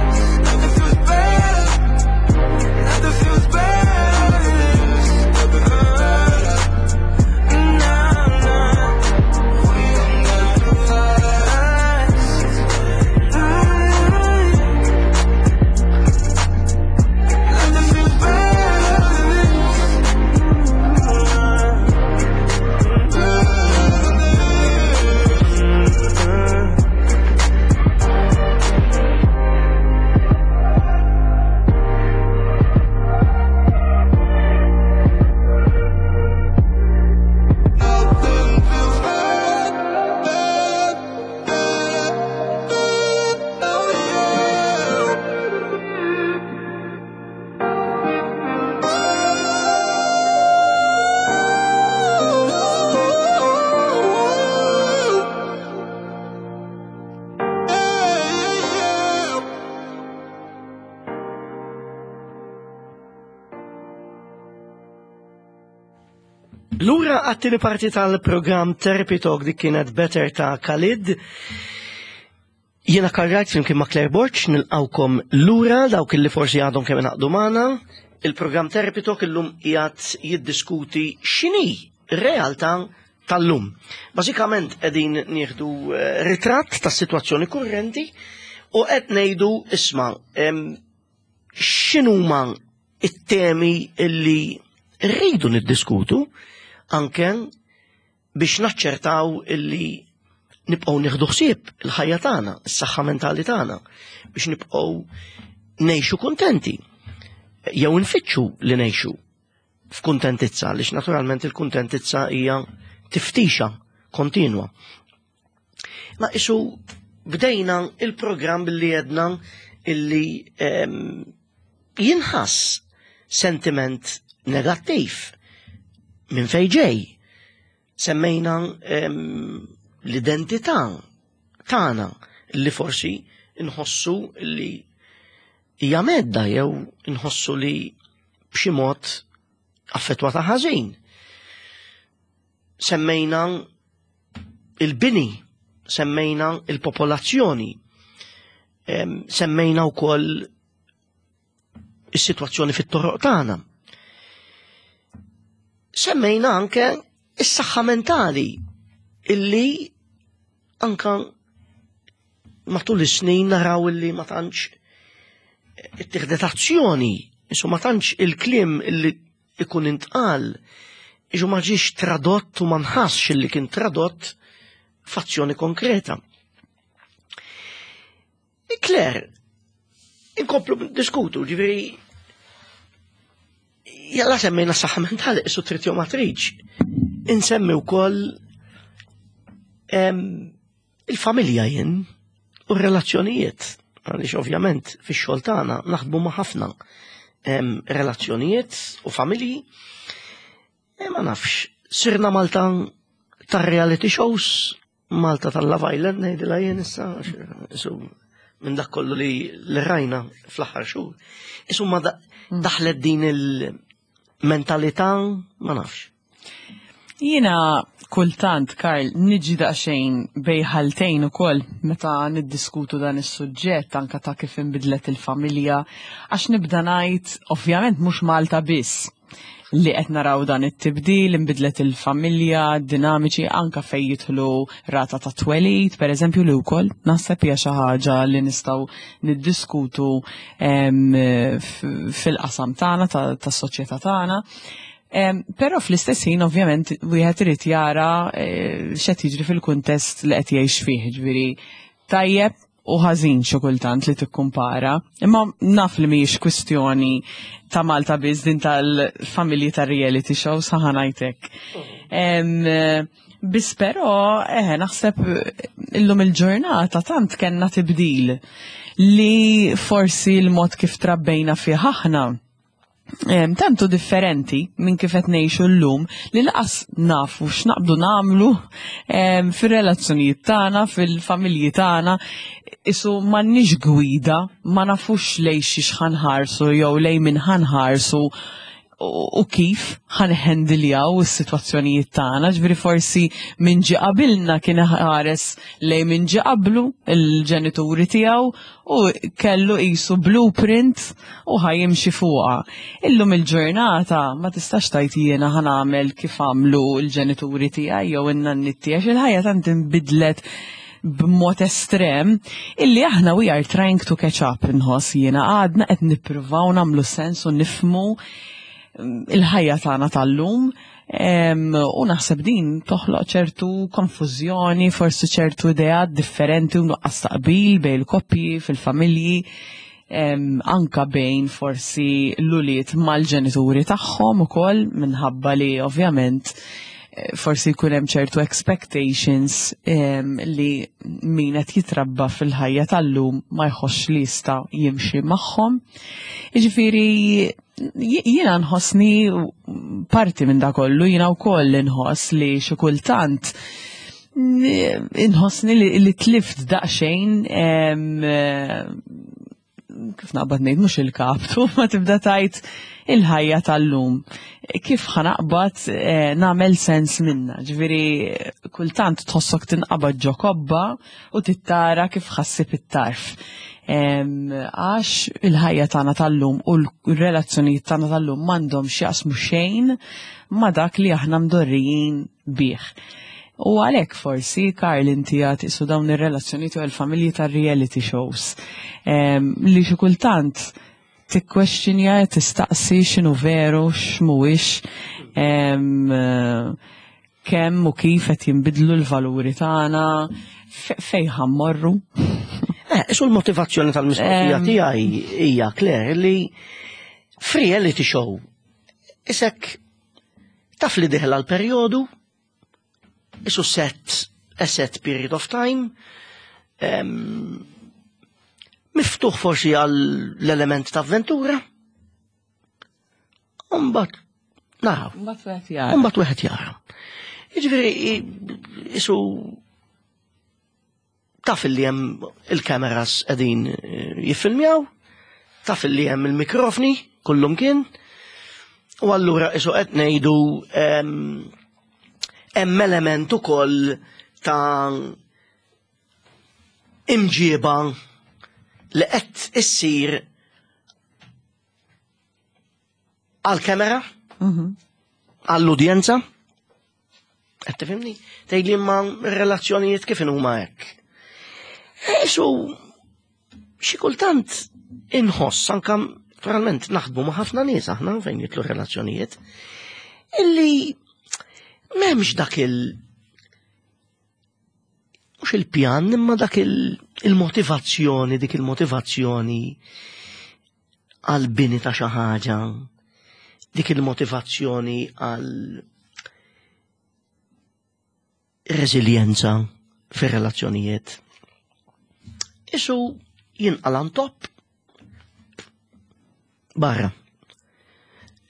D: Nothing feels better. Nothing feels better than this. Nothing feels better. Nah, nah. We don't gotta hide. Nothing feels better than this.
A: Lura għat-tieni parti tal-programm Therapy Talk, dik kienet Better ta' Khalid. Jiena Karl flimkien ma' Claire Borg nilqawkom lura, dawk li forsi għadhom kemm ingħaqdu magħna. Il-programm Therapy Talk illum qiegħed jiddiskuti x'inhi r-realtà tal-lum. Bażikament qegħdin nieħdu eh, ritratt tas-sitwazzjoni kurrenti u qed ngħidu, isma', em, x'inhuma it-temi illi rridu niddiskutu anke biex naċċertaw illi nibqgħu nieħdu ħsieb il-ħajja tagħna, is-saħħa mentali tagħna, biex nibqgħu ngħixu kuntenti. Jew nfittxu li ngħixu f'kuntentizza, għaliex naturalment il-kuntentizza hija tiftixa kontinwa. Ma isu bdejna il-programm billi jedna illi em, jinħass sentiment negattiv minn fej ġej. Semmejna em, l-identità tagħna li forsi nħossu li hija mhedda jew nħossu li b'xi mod affettwata ħażin. Semmejna il-bini, semmejna il-popolazzjoni, em, semmejna wkoll is-sitwazzjoni fit-toroq tagħna. Semmejna anke is-saħħa mentali illi anka matul is-snin naraw illi ma tantx ittieħdet azzjoni, isu ma tantx il-kliem illi ikun intqal, iġu ma ġiex tradott u ma nħassx illi kien tradott f'azzjoni konkreta. Claire, inkomplu diskutu, ġifieri, jalla semmejna saħħa mentali, isu trid jew ma tridx. Insemmi wkoll em, il-familja jien u r-relazzjonijiet. Għaliex ovvjament fix-xogħol tagħna naħdmu ma' ħafna em, relazzjonijiet u familji. E ma nafx, sirna Malta tar-reality shows, Malta tal-Love Island, ngħidilha jien issa, għax, isu minn dak kollu li li rajna fl-aħħar xhur. Isu ma da- daħlet din il-mentalità, ma nafx.
B: Jiena kultant, Karl, niġi daqsxejn bejn ħaltejn ukoll meta niddiskutu dan is-suġġett anka ta' kif inbidlet il-familja, għax nibda ngħid, ovvjament mhux Malta biss li qed naraw dan it-tibdil, inbidlet il-familja, dinamiċi anka fejn jidħlu rata ta' twelid, per eżempju, li wkoll naħseb hija xi ħaġa li nistgħu niddiskutu em, f- fil-qasam tagħna tas-soċjetà tagħna. Em, Però fl-istess ħin ovvjament wieħed irid jara eh, x'qed jiġri fil-kuntest li qed jgħix fih, ġifieri tajjeb u ħażin xi kultant li tikkumpara. Imma naf li mhijiex kwistjoni ta' Malta biss din tal-familji tar-reality show, saħa ngħidlek. Em, Biss però, eh, naħseb illum il-ġurnata tant kellna tibdil li forsi l-mod kif trabbejna fih aħna em, tantu differenti minn kif qed ngħixu llum li lanqas nafu x'naqbdu nagħmlu em, fir-relazzjonijiet tagħna, fil-familji tagħna, isu m'għandniex gwida, ma nafux lej xiex ħa nħarsu jew lej min ħa nħarsu u u kif ħa nħendiljaw is-sitwazzjonijiet tagħna, ġifieri forsi min ġie qabilna kien ħares lej min ġie qablu, il-ġenituri tiegħu, u kellu qisu blueprint u ħa jimxi fuqha. Illum il-ġurnata ma tistax tgħid jiena ħa nagħmel kif għamlu l-ġenituri tiegħi jew in-nanniet tiegħi, il-ħajja tant inbidlet b'mod estrem illi aħna we are trying to catch up, inħoss jiena għadna qed nippruvaw nagħmlu sens u nifhmu il-ħajja tagħna tal-lum em, u naħseb din toħloq ċertu konfużjoni, forsi ċertu ideat differenti u nuqqas taqbil bejn il-koppji, fil-familji, em, anka bejn forsi l-ulied mal-ġenituri tagħhom ukoll, minħabba li ovvjament eh, forsi jkun hemm ċertu expectations em, li min qed jitrabba fil-ħajja tal-lum ma jħossx li jista' jimxi magħhom. Jiġifieri jiena nħossni parti minn da kollu, jiena wkoll inħoss li xi kultant inħossni li, li tlift daqsxejn em, kif naqbad ngħid mhux il-kaptu, ma tibda tgħid il-ħajja tal-lum. Kif ħa naqbad eh, nagħmel sens minna? Ġifieri kultant tħossok tinqabad ġo kobba u tittara kif ħa ssib it-tarf. Em, Għax il-ħajja tagħna tal-lum u l-relazzjonijiet tagħna tal-lum m'għandhom x'jaqsmu xejn ma' dak li aħna mdorrijin bih. U għalhekk forsi, Karl, inti għat isu dawn ir-relazzjonijiet u l-familji tar-reality shows em, li xi kultant tikkwestjonja, tistaqsi x'inhu veru, x'mhuwiex, em, eh, kemm u kif qed jinbidlu l-valuri tagħna, fe- fejn ħa mmorru.
A: Eh, isu l-motivazzjoni tal-mistoqsija
B: Em.
A: tiegħi hija, Claire, li f'reality show isek taf li dieħel għal perjodu, isu set a set period of time, em, miftuħ forsi għal l-element ta' avventura, Umbat, naraw.
B: Mbagħad wieħed jara.
A: Umbat wieħed jara. Jiġifieri isu taf li hemm il-kameras qegħdin eh, jiffilmjaw, taf li hemm il-mikrofni kullum kien, u allura isu qed ngħidu em, hemm element ukoll ta' imġieba li qed issir għal-kamera, għall-udjenza. Qed tifhimni? Tgħidli ma relazzjonijiet kif huma hekk. Isu xi kultant inħoss anka naturalment naħdmu ma' ħafna nies aħna fejn jidħlu relazzjonijiet illi m'hemmx dak il mhux il-pjan imma dak il-motivazzjoni, dik il-motivazzjoni għal bini ta' xi ħaġa, dik il-motivazzjoni għal reżiljenza fir-relazzjonijiet. Isu jinqalan top barra.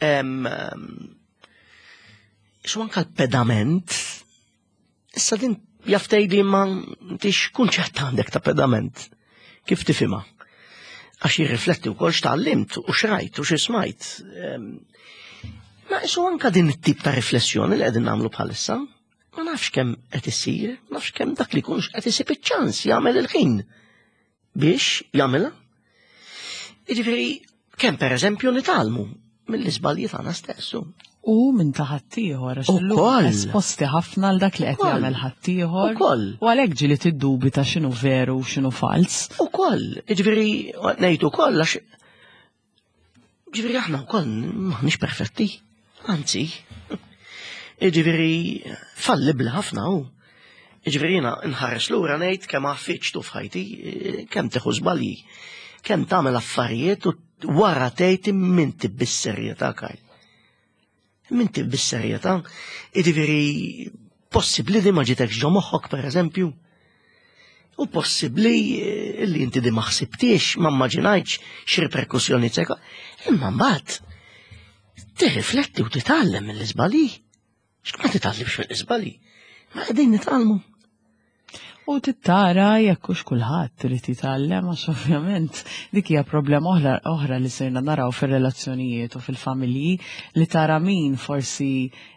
A: Em, em, Isu anka l-pedament, issa din jaf tgħidli ma intix kunċett għandek ta' pedament. Kif tifhimha? Għax jirrifletti wkoll x'tgħallimt u xrajt u x'ismajt. Em, Ma isu anka din it-tip ta' riflessjoni li qegħdin nagħmlu bħalissa, ma nafx kemm qed issir, ma nafx kemm dak li jkunx qed isib iċ-ċans jagħmel il-ħin biex jagħmilha. Jiġifieri kemm pereżempju nitgħallmu mill-iżbalji tagħna stessu.
B: U minn ta' ħaddieħor, għax illum
A: Ukoll.
B: esposti ħafna għal dak li qed
A: Ukoll.
B: jagħmel ħaddieħor.
A: Ukoll.
B: U għalhekk ġieli tiddubita x'inhu veru u x'inhu fals.
A: Ukoll, jiġifieri ngħid ukoll għax ġifieri aħna wkoll m'aħniex perfetti, anzi. Jiġifieri fallibli ħafna hu. Jiġifieri jiena nħares lura ngħid kemm għaffiġtu f'ħajti, kemm tieħu żbalji, kemm tagħmel affarijiet u wara tgħid minti bis-serjetà, Kyle. Minti bis-serjetà. Jiġifieri possibbli di ma ġitekx ġo moħħok pereżempju. U possibbli eh, li inti di ma ħsibtiex, ma immaġinajtx x'riperkussjoni tseka. Imma mbagħad tirrifletti u titgħallem mill-iżbalji. X'ma titgħallimx mill-iżbalji? Ma qegħdin nitgħallmu.
B: U tittara jekk hux kulħadd irid jitgħallem, għax ovvjament dik hija problema oħra oħra li sirna naraw fir-relazzjonijiet u fil-familji, li tara min forsi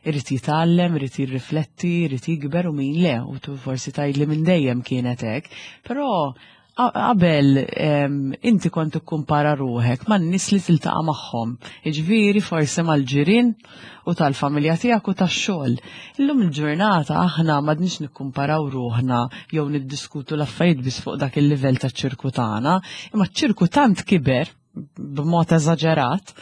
B: irid jitgħallem, irid jirrifletti, irid jikber u min le, u tu forsi tgħidli minn dejjem kienet hekk. Però qa- qabel em, inti kont tikkumpara ruħek man nies li tiltaqa' magħhom. Jiġifieri forsi mal-ġirien u tal-familja tiegħek u tax-xogħol. Illum il-ġurnata aħna m'għadniex nikkumparaw ruħna jew niddiskutu l-affarijiet biss fuq dak il-livell taċ-ċirku tagħna, imma ċ-ċirku tant kiber b'mod eżaġerat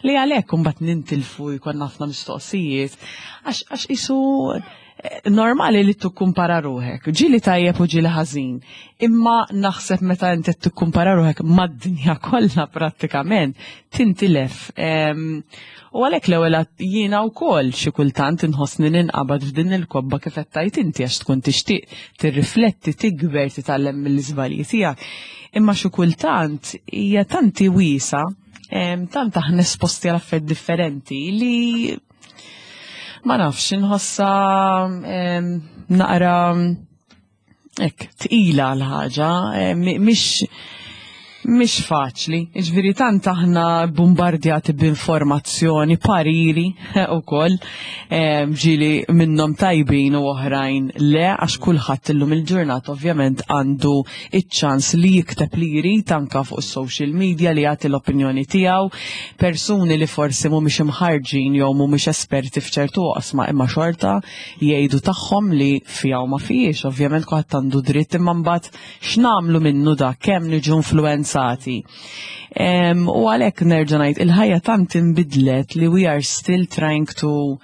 B: li għalhekk imbagħad nintilfu, jkollna ħafna mistoqsijiet għax għax isu eh, normali li tikkumpara ruħek, ġieli tajjeb u ġieli ħażin. Imma naħseb meta inti tikkumpara ruħek mad-dinja kollha prattikament, tintilef. Em, U għalhekk l-ewwel għad jiena wkoll xi kultant inħossni ninqabad f'din il-kobba kif qed tgħid inti, għax tkun tixtieq tirrifletti, tikber, titgħallem mill-iżbalji tiegħek. Imma xi kultant hija tanti wiesa, em, tant aħna esposti għal affarijiet differenti li ma nafx, inħossa em, naqra hekk tqila l-ħaġa, em, mhix Mhix faċli, ġifieri tant aħna bombardjati b'informazzjoni, pariri ukoll, ġieli minnhom tajbin u oħrajn le, għax kulħadd illum il-ġurnata ovvjament għandu iċ-ċans li jikteb li jrid anka fuq is-social media, li jagħti l-opinjoni tiegħu, persuni li forsi mhumiex imħarġin jew mhumiex esperti f'ċertu oqsma imma xorta jgħidu tagħhom li fiha u ma fihiex, ovvjament kulħadd għandu dritt, imma mbagħad x'nagħmlu minnu da, kemm niġu influenza. Um, u għalhekk nerġa' ngħid, il-ħajja tant inbidlet li we are still trying to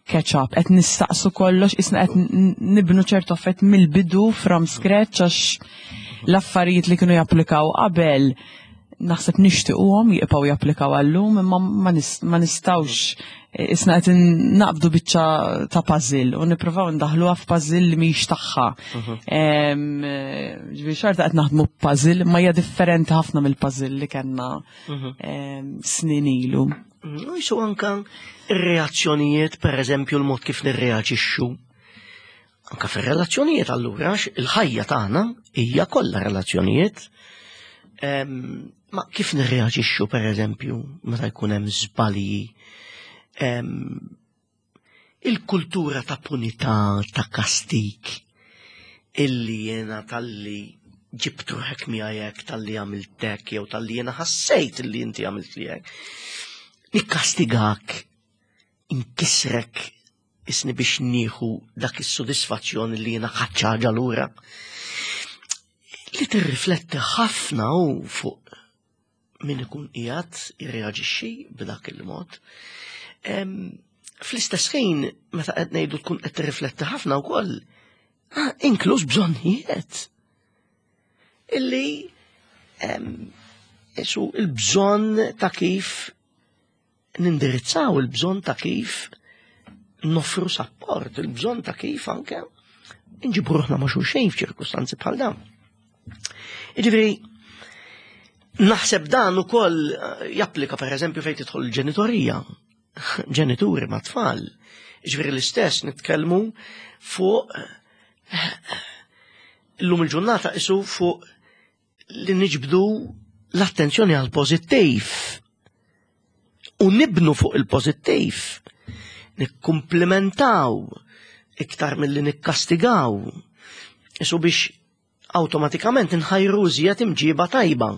B: catch up, qed nistaqsu kollox, isna qed nibnu ċertu affett mill-bidu from scratch, għax l-affarijiet li kienu japplikaw qabel naħseb nixtiequhom jibqgħu japplikaw għallum, imma ma nistgħux, isna qed naqbdu biċċa ta' puzzle u nippruvaw ndaħluha f'puzzle li mhix tagħha. Ġifieri xorta qed naħdmu puzzle, ma hija differenti ħafna mill-puzzle li kellna snin ilu.
A: U jisu anka ir-reazzjonijiet, per eżempju, l-mod kif nirreaġixxu. Anka fir-relazzjonijiet allura, il-ħajja tagħna hija kollha relazzjonijiet. Ma kif nirreaġixxu, per eżempju, meta jkun hemm żbalji, il-kultura ta' punità, ta' kastik, illi jena talli ġibt ruħek miegħek, talli għamiltek, jew talli jena ħassejt illi inti għamilt li hekk. Nikkastigak, inkisrek, isni biex nieħu dak is-sodisfazzjon li jena ħaġa lura. Li tirrifletti ħafna u fuq min ikun qiegħed jirreaġixxi b'dak il-mod. Fl-istess ħin, meta qed ngħidu tkun qed tirrifletti ħafna wkoll, inkluż bżonnijiet. Illi isu il-bżonn ta' kif nindirizzaw, il-bżonn ta' kif noffru support, il-bżonn ta' kif anke nġibu ruħna ma' xulxejn f'ċirkustanzi bħal dawn. Jiġifieri, naħseb dan ukoll japplika per eżempju fejn tidħol il-ġenitorija, ġenituri ma' tfal. Jiġifieri l-istess nitkellmu fuq illum il-ġurnata isu fuq li niġbdu l-attenzjoni għal pożittiv u nibnu fuq il-pożittiv, nikkumplimentaw iktar milli nikkastigaw, isu biex awtomatikament nħajru iżjed imġiba tajba,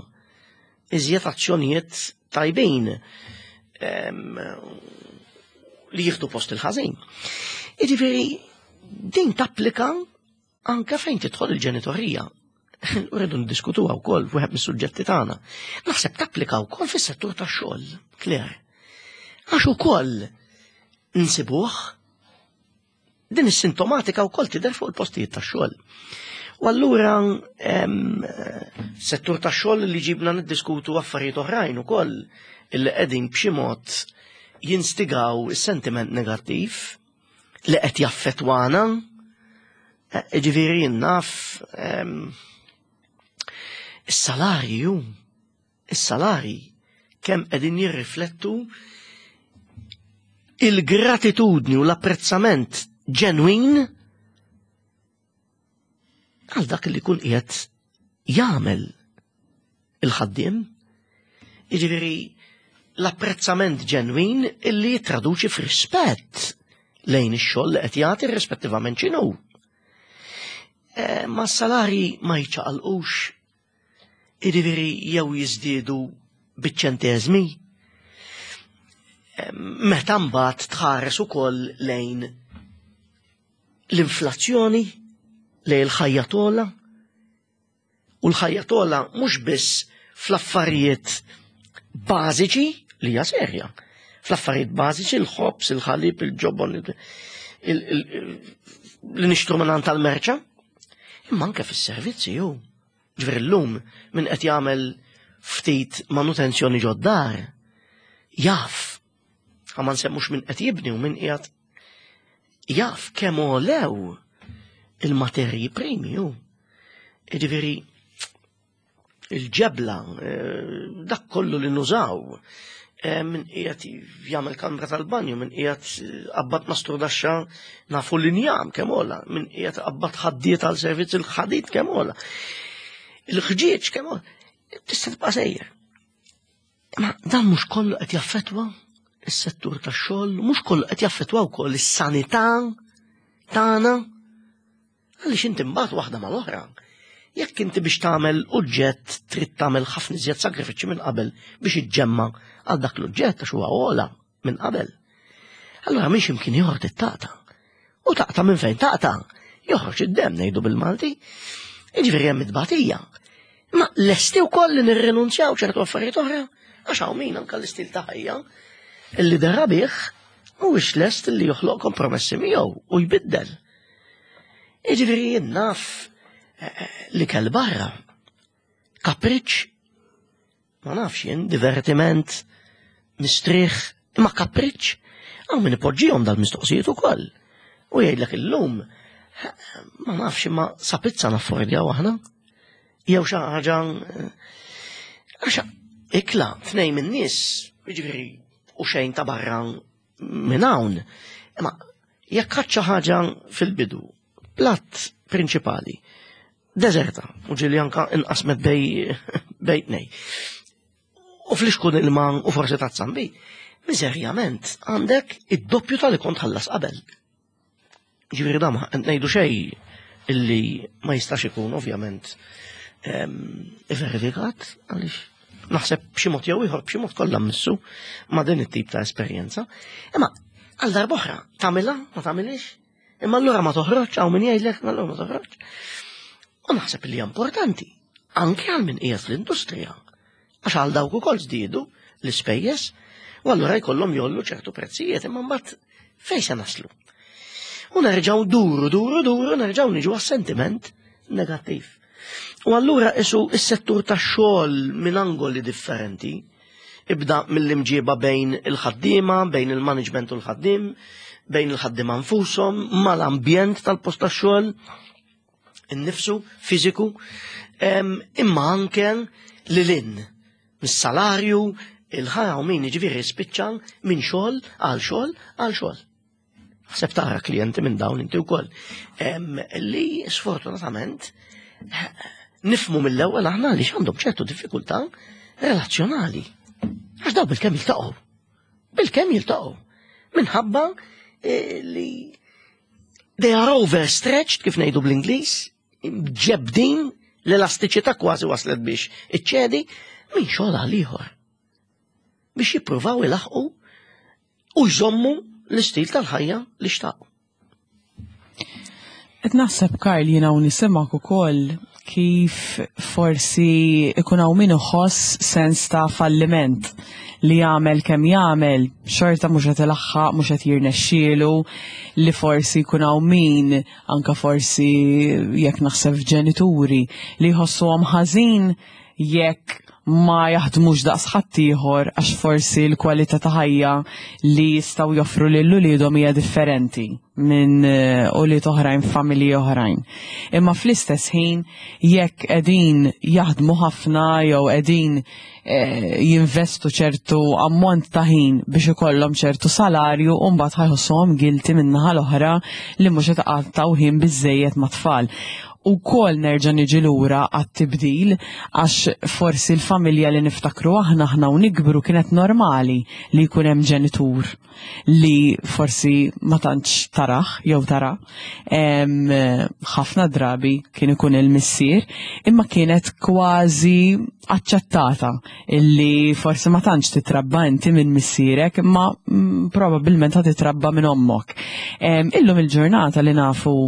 A: iżjed azzjonijiet tajbin li jieħdu post il-ħażin. Jiġifieri din tapplika anke fejn tidħol il-ġenitorija. U rridu ndiskutuha wkoll f'wieħed mis-suġġetti tagħna. Naħseb tapplika wkoll fis-settur tax-xogħol, Claire. Għax ukoll nsibuh din is-sintomatika wkoll tidher fuq il-postijiet tax-xogħol. U allura settur tax-xogħol li ġibna niddiskutu affarijiet oħrajn ukoll illi qegħdin b'xi mod jinstigaw is-sentiment negattiv li qed jaffettwana. Ġifieri naf is-salarju, is-salari kemm qegħdin jirriflettu il-gratitudni u l-apprezzament ġenwin għal dak li kun qiegħed jagħmel il-ħaddiem. Jiġifieri l-apprezzament ġenwin illi jittraduċi f'rispett lejn ix-xogħol li qed jagħti rispettivament x'inhu. Ma s-salari ma jiċċaqalqux, jiġifieri jew jiżdiedu biċ-ċenteżmi. Meta mbagħad tħares ukoll lejn l-inflazzjoni, lejn il-ħajja tola, u l-ħajja tola mhux biss fl-affarijiet bażiċi li hija serja, fl-affarijiet bażiċi l-ħobż, il-ħalib, il-ġobon, li nixtru minn tal-merċa, imma anke fis-servizzi ju. Ġifieri llum min qed jagħmel ftit manutenzjoni ġod-dar, jaf, ma nsemmux min qed jibni u min qiegħed jaf kemm għolew il-materji primi ju. Ġifieri il-ġebla, dak kollu li nużaw, min qiegħed jagħmel kamra tal-banju, min qiegħed qabbat mastrudaxxa nafu l-injam kemm għola, min qiegħed qabbat ħaddiet għal servizz il-ħadid kemm għola, il-ħġieġ kemm għola. Tista' tibqa' sejjer. Ma dan mhux kollu qed jaffettwa is-settur tax-xogħol, mhux kollu qed jaffettwa wkoll is-sanità tagħna. Għaliex inti mbagħad waħda mal-oħra. Jekk inti biex tagħmel oġġett trid tagħmel ħafna iżjed sagrifiċċji minn qabel biex iġġemma għal dak l-oġġett għax huwa ogħla minn qabel. Allura mhix imkien ieħor taqta'. U taqta' minn fejn taqta'. Joħroġ id-demm, ngħidu bil-Malti. Jiġifieri hemm it-tbatija. Ma lesti wkoll li nirrinunzjaw ċertu affarijiet oħra, għax hawn min anke l-istil ta' ħajja illi dera bih mhuwiex lest li joħloq kompromessi miegħu u jbiddel. Jiġifieri jien naf eh, li kell barra. Kapriċ, ma nafx jien, divertiment, mistrieħ, imma kapriċ, hawn min ipoġġihom dal-mistoqsijiet ukoll. U jgħidlek illum, ma nafx, imma sa pizza naffordjaw aħna. Jew xi ħaġa, għax ikla tnejn min-nies, jiġifieri u xejn ta' barra minn hawn. Imma jekk ħadd xi ħaġa fil-bidu, platt prinċipali, deżerta, u ġieli anka inqasmet bejn bejn tnejn. U flixkun ilma u forsi tazza nbid, miżerjament għandek id-doppju tal-li kont ħallas qabel. Ġifieri da ma ngħidu xejn illi ma jistax ikun ovvjament verifikat, għaliex naħseb b'xi mod jew ieħor, b'xi mod kollha missu ma' din it-tip ta' esperjenza. Imma għal darb'oħra, tagħmilha, ma tagħmilix? Imma allura ma toħroġ, hawn min jgħidlek, ma allura ma toħroġ. U naħseb li hija importanti, anke għal min qiegħed fl-industrija. Għax għal dawk ukoll żdiedu l-ispejjeż, u allura jkollhom jgħollu ċertu prezzijiet, imma mbagħad fejn se naslu? U nerġgħu duru, duru, duru, nerġgħu niġu għas-sentiment negattiv. U allura isu is-settur tax-xogħol minn angoli differenti, ibda mill-imġiba bejn il-ħaddiema, bejn il-management u l-ħaddiem, bejn il-ħaddiema nfushom, mal-ambjent tal-post tax-xogħol, innifsu, fiżiku, imma anke lil mis-salarju, il-ħajja u min jiġifieri spiċċa minn xogħol għal xogħol għal xogħol. Ħseb tara klijenti minn dawn inti wkoll. Li sfortunatament nifhmu mill-ewwel aħna li għandhom ċertu diffikultà relazzjonali. Għax daw bilkemm jiltaqgħu. Bilkemm jiltaqgħu. Minħabba eh, li they are overstretched, kif ngħidu bl-Ingliż, ġebdin, l-elastiċità kważi waslet biex iċċedi minn xogħol għal ieħor. Biex jippruvaw ilaħqu u jżommu l-istil tal-ħajja li xtaqu.
B: Qed naħseb, Karl, jiena u nisimgħek ukoll, kif forsi ikun hawn min iħoss sens ta' falliment li jagħmel kemm jagħmel xorta mhux qed ilaħħaq, mhux qed jirnexxielu, li forsi jkun hawn min anka forsi, jekk naħseb f'ġenituri li jħossuhom ħażin jekk ma jaħdmux daqs ħaddieħor, għax forsi l-kwalità ta' ħajja li jistgħu joffru lil uliedhom hija differenti minn eh, ulied oħrajn, familji oħrajn. Imma fl-istess ħin, jekk qegħdin jaħdmu ħafna jew qegħdin eh, jinvestu ċertu ammont ta' ħin biex ikollhom ċertu salarju, u mbagħad ħa jħossuhom guilty min-naħa l-oħra li mhux qed iqattgħu ħin biżejjed mat-tfal. Ukoll nerġa' niġi lura għat-tibdil, għax forsi l-familja li niftakru aħna aħna u nikbru kienet normali li jkun hemm ġenitur li forsi ma tantx taraħ jew tara. Em, ħafna drabi kien ikun il-missier, imma kienet kważi aċċettata illi forsi ma tantx titrabba inti minn missierek, imma mm, probabbilment ħa titrabba minn ommok. Em, Illum il-ġurnata li nafu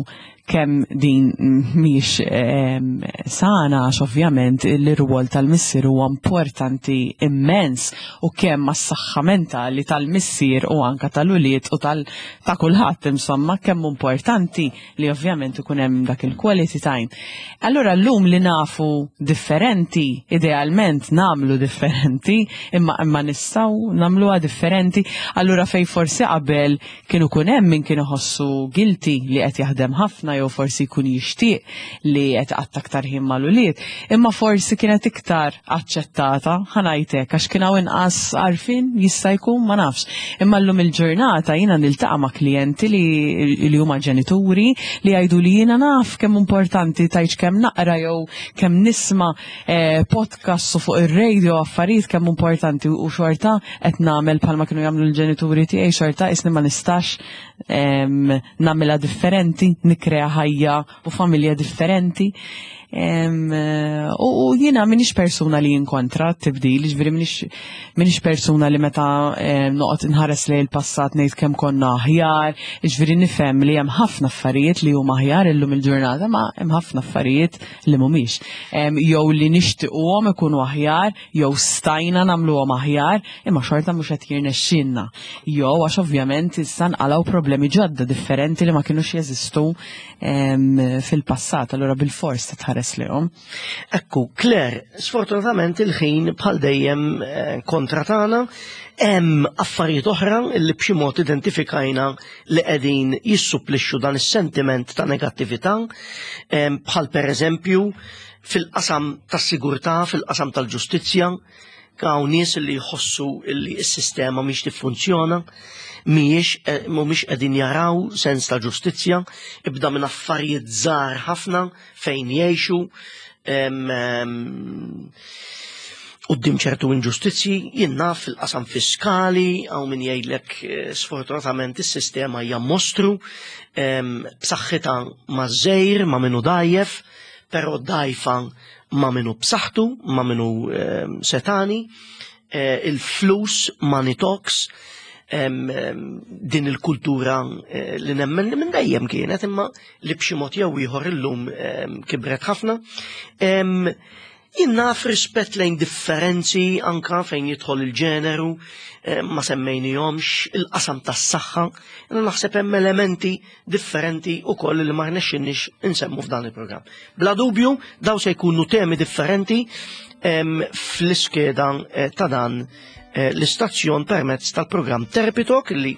B: kemm din mhix em, sana, għax ovvjament l-irwol tal-missier huwa importanti immens u kemm għas-saħħa mentali tal-missier u anka tal-ulied u tal ta' kulħadd, insomma, kemm importanti li ovvjament ikun hemm dak il-quality time. Allura llum li nafu differenti, idealment nagħmlu differenti, imma imma nistgħu nagħmluha differenti. Allura fej forsi qabel kienu kun hemm min kien iħossu guilty li qed jaħdem ħafna. jew forsi jkun jixtieq li qed qatta aktar ħin mal-ulied, imma forsi kienet iktar aċċettata, ħa ngħidlek, għax kien hawn inqas għarfien, jista' jkun, ma nafx. Imma llum il-ġurnata jiena niltaqa' ma' klijenti li, li huma ġenituri li jgħidu li jiena naf kemm importanti tajġ kemm naqra jew kemm nisma' eh, podcast u fuq ir-radio affarijiet kemm importanti u xorta qed nagħmel bħalma kienu jagħmlu l-ġenituri tiegħi, xorta isni ma nistax em, nagħmilha differenti, nikrea ħajja u familja differenti. Em, eh, U u jiena minix persuna li jinkontra t-tibdil, ġifieri minix, minix persuna li meta em, noqgħod inħares lejn il-passat ngħid kemm konna aħjar, ġifieri nifhem li hemm ħafna affarijiet li huma aħjar illum il-ġurnata, ma hemm ħafna affarijiet li mhumiex. Em, Jew li nixtiequhom ikunu aħjar, jew stajna nagħmluhom aħjar, imma xorta mhux qed jirnexxinna. Jew għax ovvjament issa nqalgħu problemi ġodda differenti li ma kinux jeżistu em, fil-passat, allura bil-fors titħares lejhom.
A: Ekku, Claire, sfortunatament il-ħin bħal dejjem eh, kontra tagħna, hemm affarijiet oħra li b'xi mod identifikajna li qegħdin jissupplixxu dan is-sentiment ta' negattività, em, bħal pereżempju fil-qasam tas-sigurtà, fil-qasam tal-ġustizzja, hawn nies li jħossu li s-sistema mhix tiffunzjona, mhijiex eh, mhumiex qegħdin jaraw sens ta' ġustizzja, ibda minn affarijiet żgħar ħafna fejn jgħixu, em, em, quddiem ċertu inġustizzji, jien naf fil-qasam fiskali, hawn min jgħidlek eh, sfortunatament is-sistema hija mostru, em, b'saħħitha ma' żejr, ma' minu dajjef, però dajfa ma' minu b'saħħtu, ma' minu em, setani, eh, il-flus, money talks, em, em, din il-kultura eh, li nemmen li minn dejjem kienet imma li b'xi mod jew ieħor illum em, kibret ħafna. Em, Jien naf rispett lejn differenzi anka fejn jidħol il-ġeneru, eh, ma semmejnihomx, il-qasam tas-saħħa, jiena naħseb hemm elementi differenti ukoll li ma rnexxinniex insemmu f'dan il-programm. Bla dubju, daw se jkunu temi differenti em, fl-iskeda eh, ta' dan eh, l-istazzjon permezz tal-programm Therapy Talk li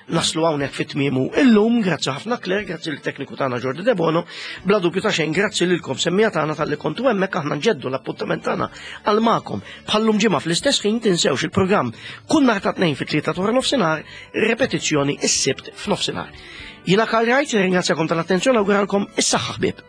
A: naslu hawnhekk fit tmiemu illum, grazzi ħafna Claire, grazzi l-tekniku tagħna Jordi Debono, bla dubju ta' xejn grazzi lilkom semmiegħa tagħna talli kontu hemmhekk. Aħna nġeddu l-appuntament tagħna għal magħkom bħallum ġimgħa fl-istess ħin. Tinsewx il-programm kull nhar ta' Tnejn fit-tlieta ta' nofsinhar, repetizzjoni is-Sibt f'nofsinhar. Jiena Karl Wright, ringrazzjakom tal-attenzjoni, awguralkom is-saħħa, ħbieb.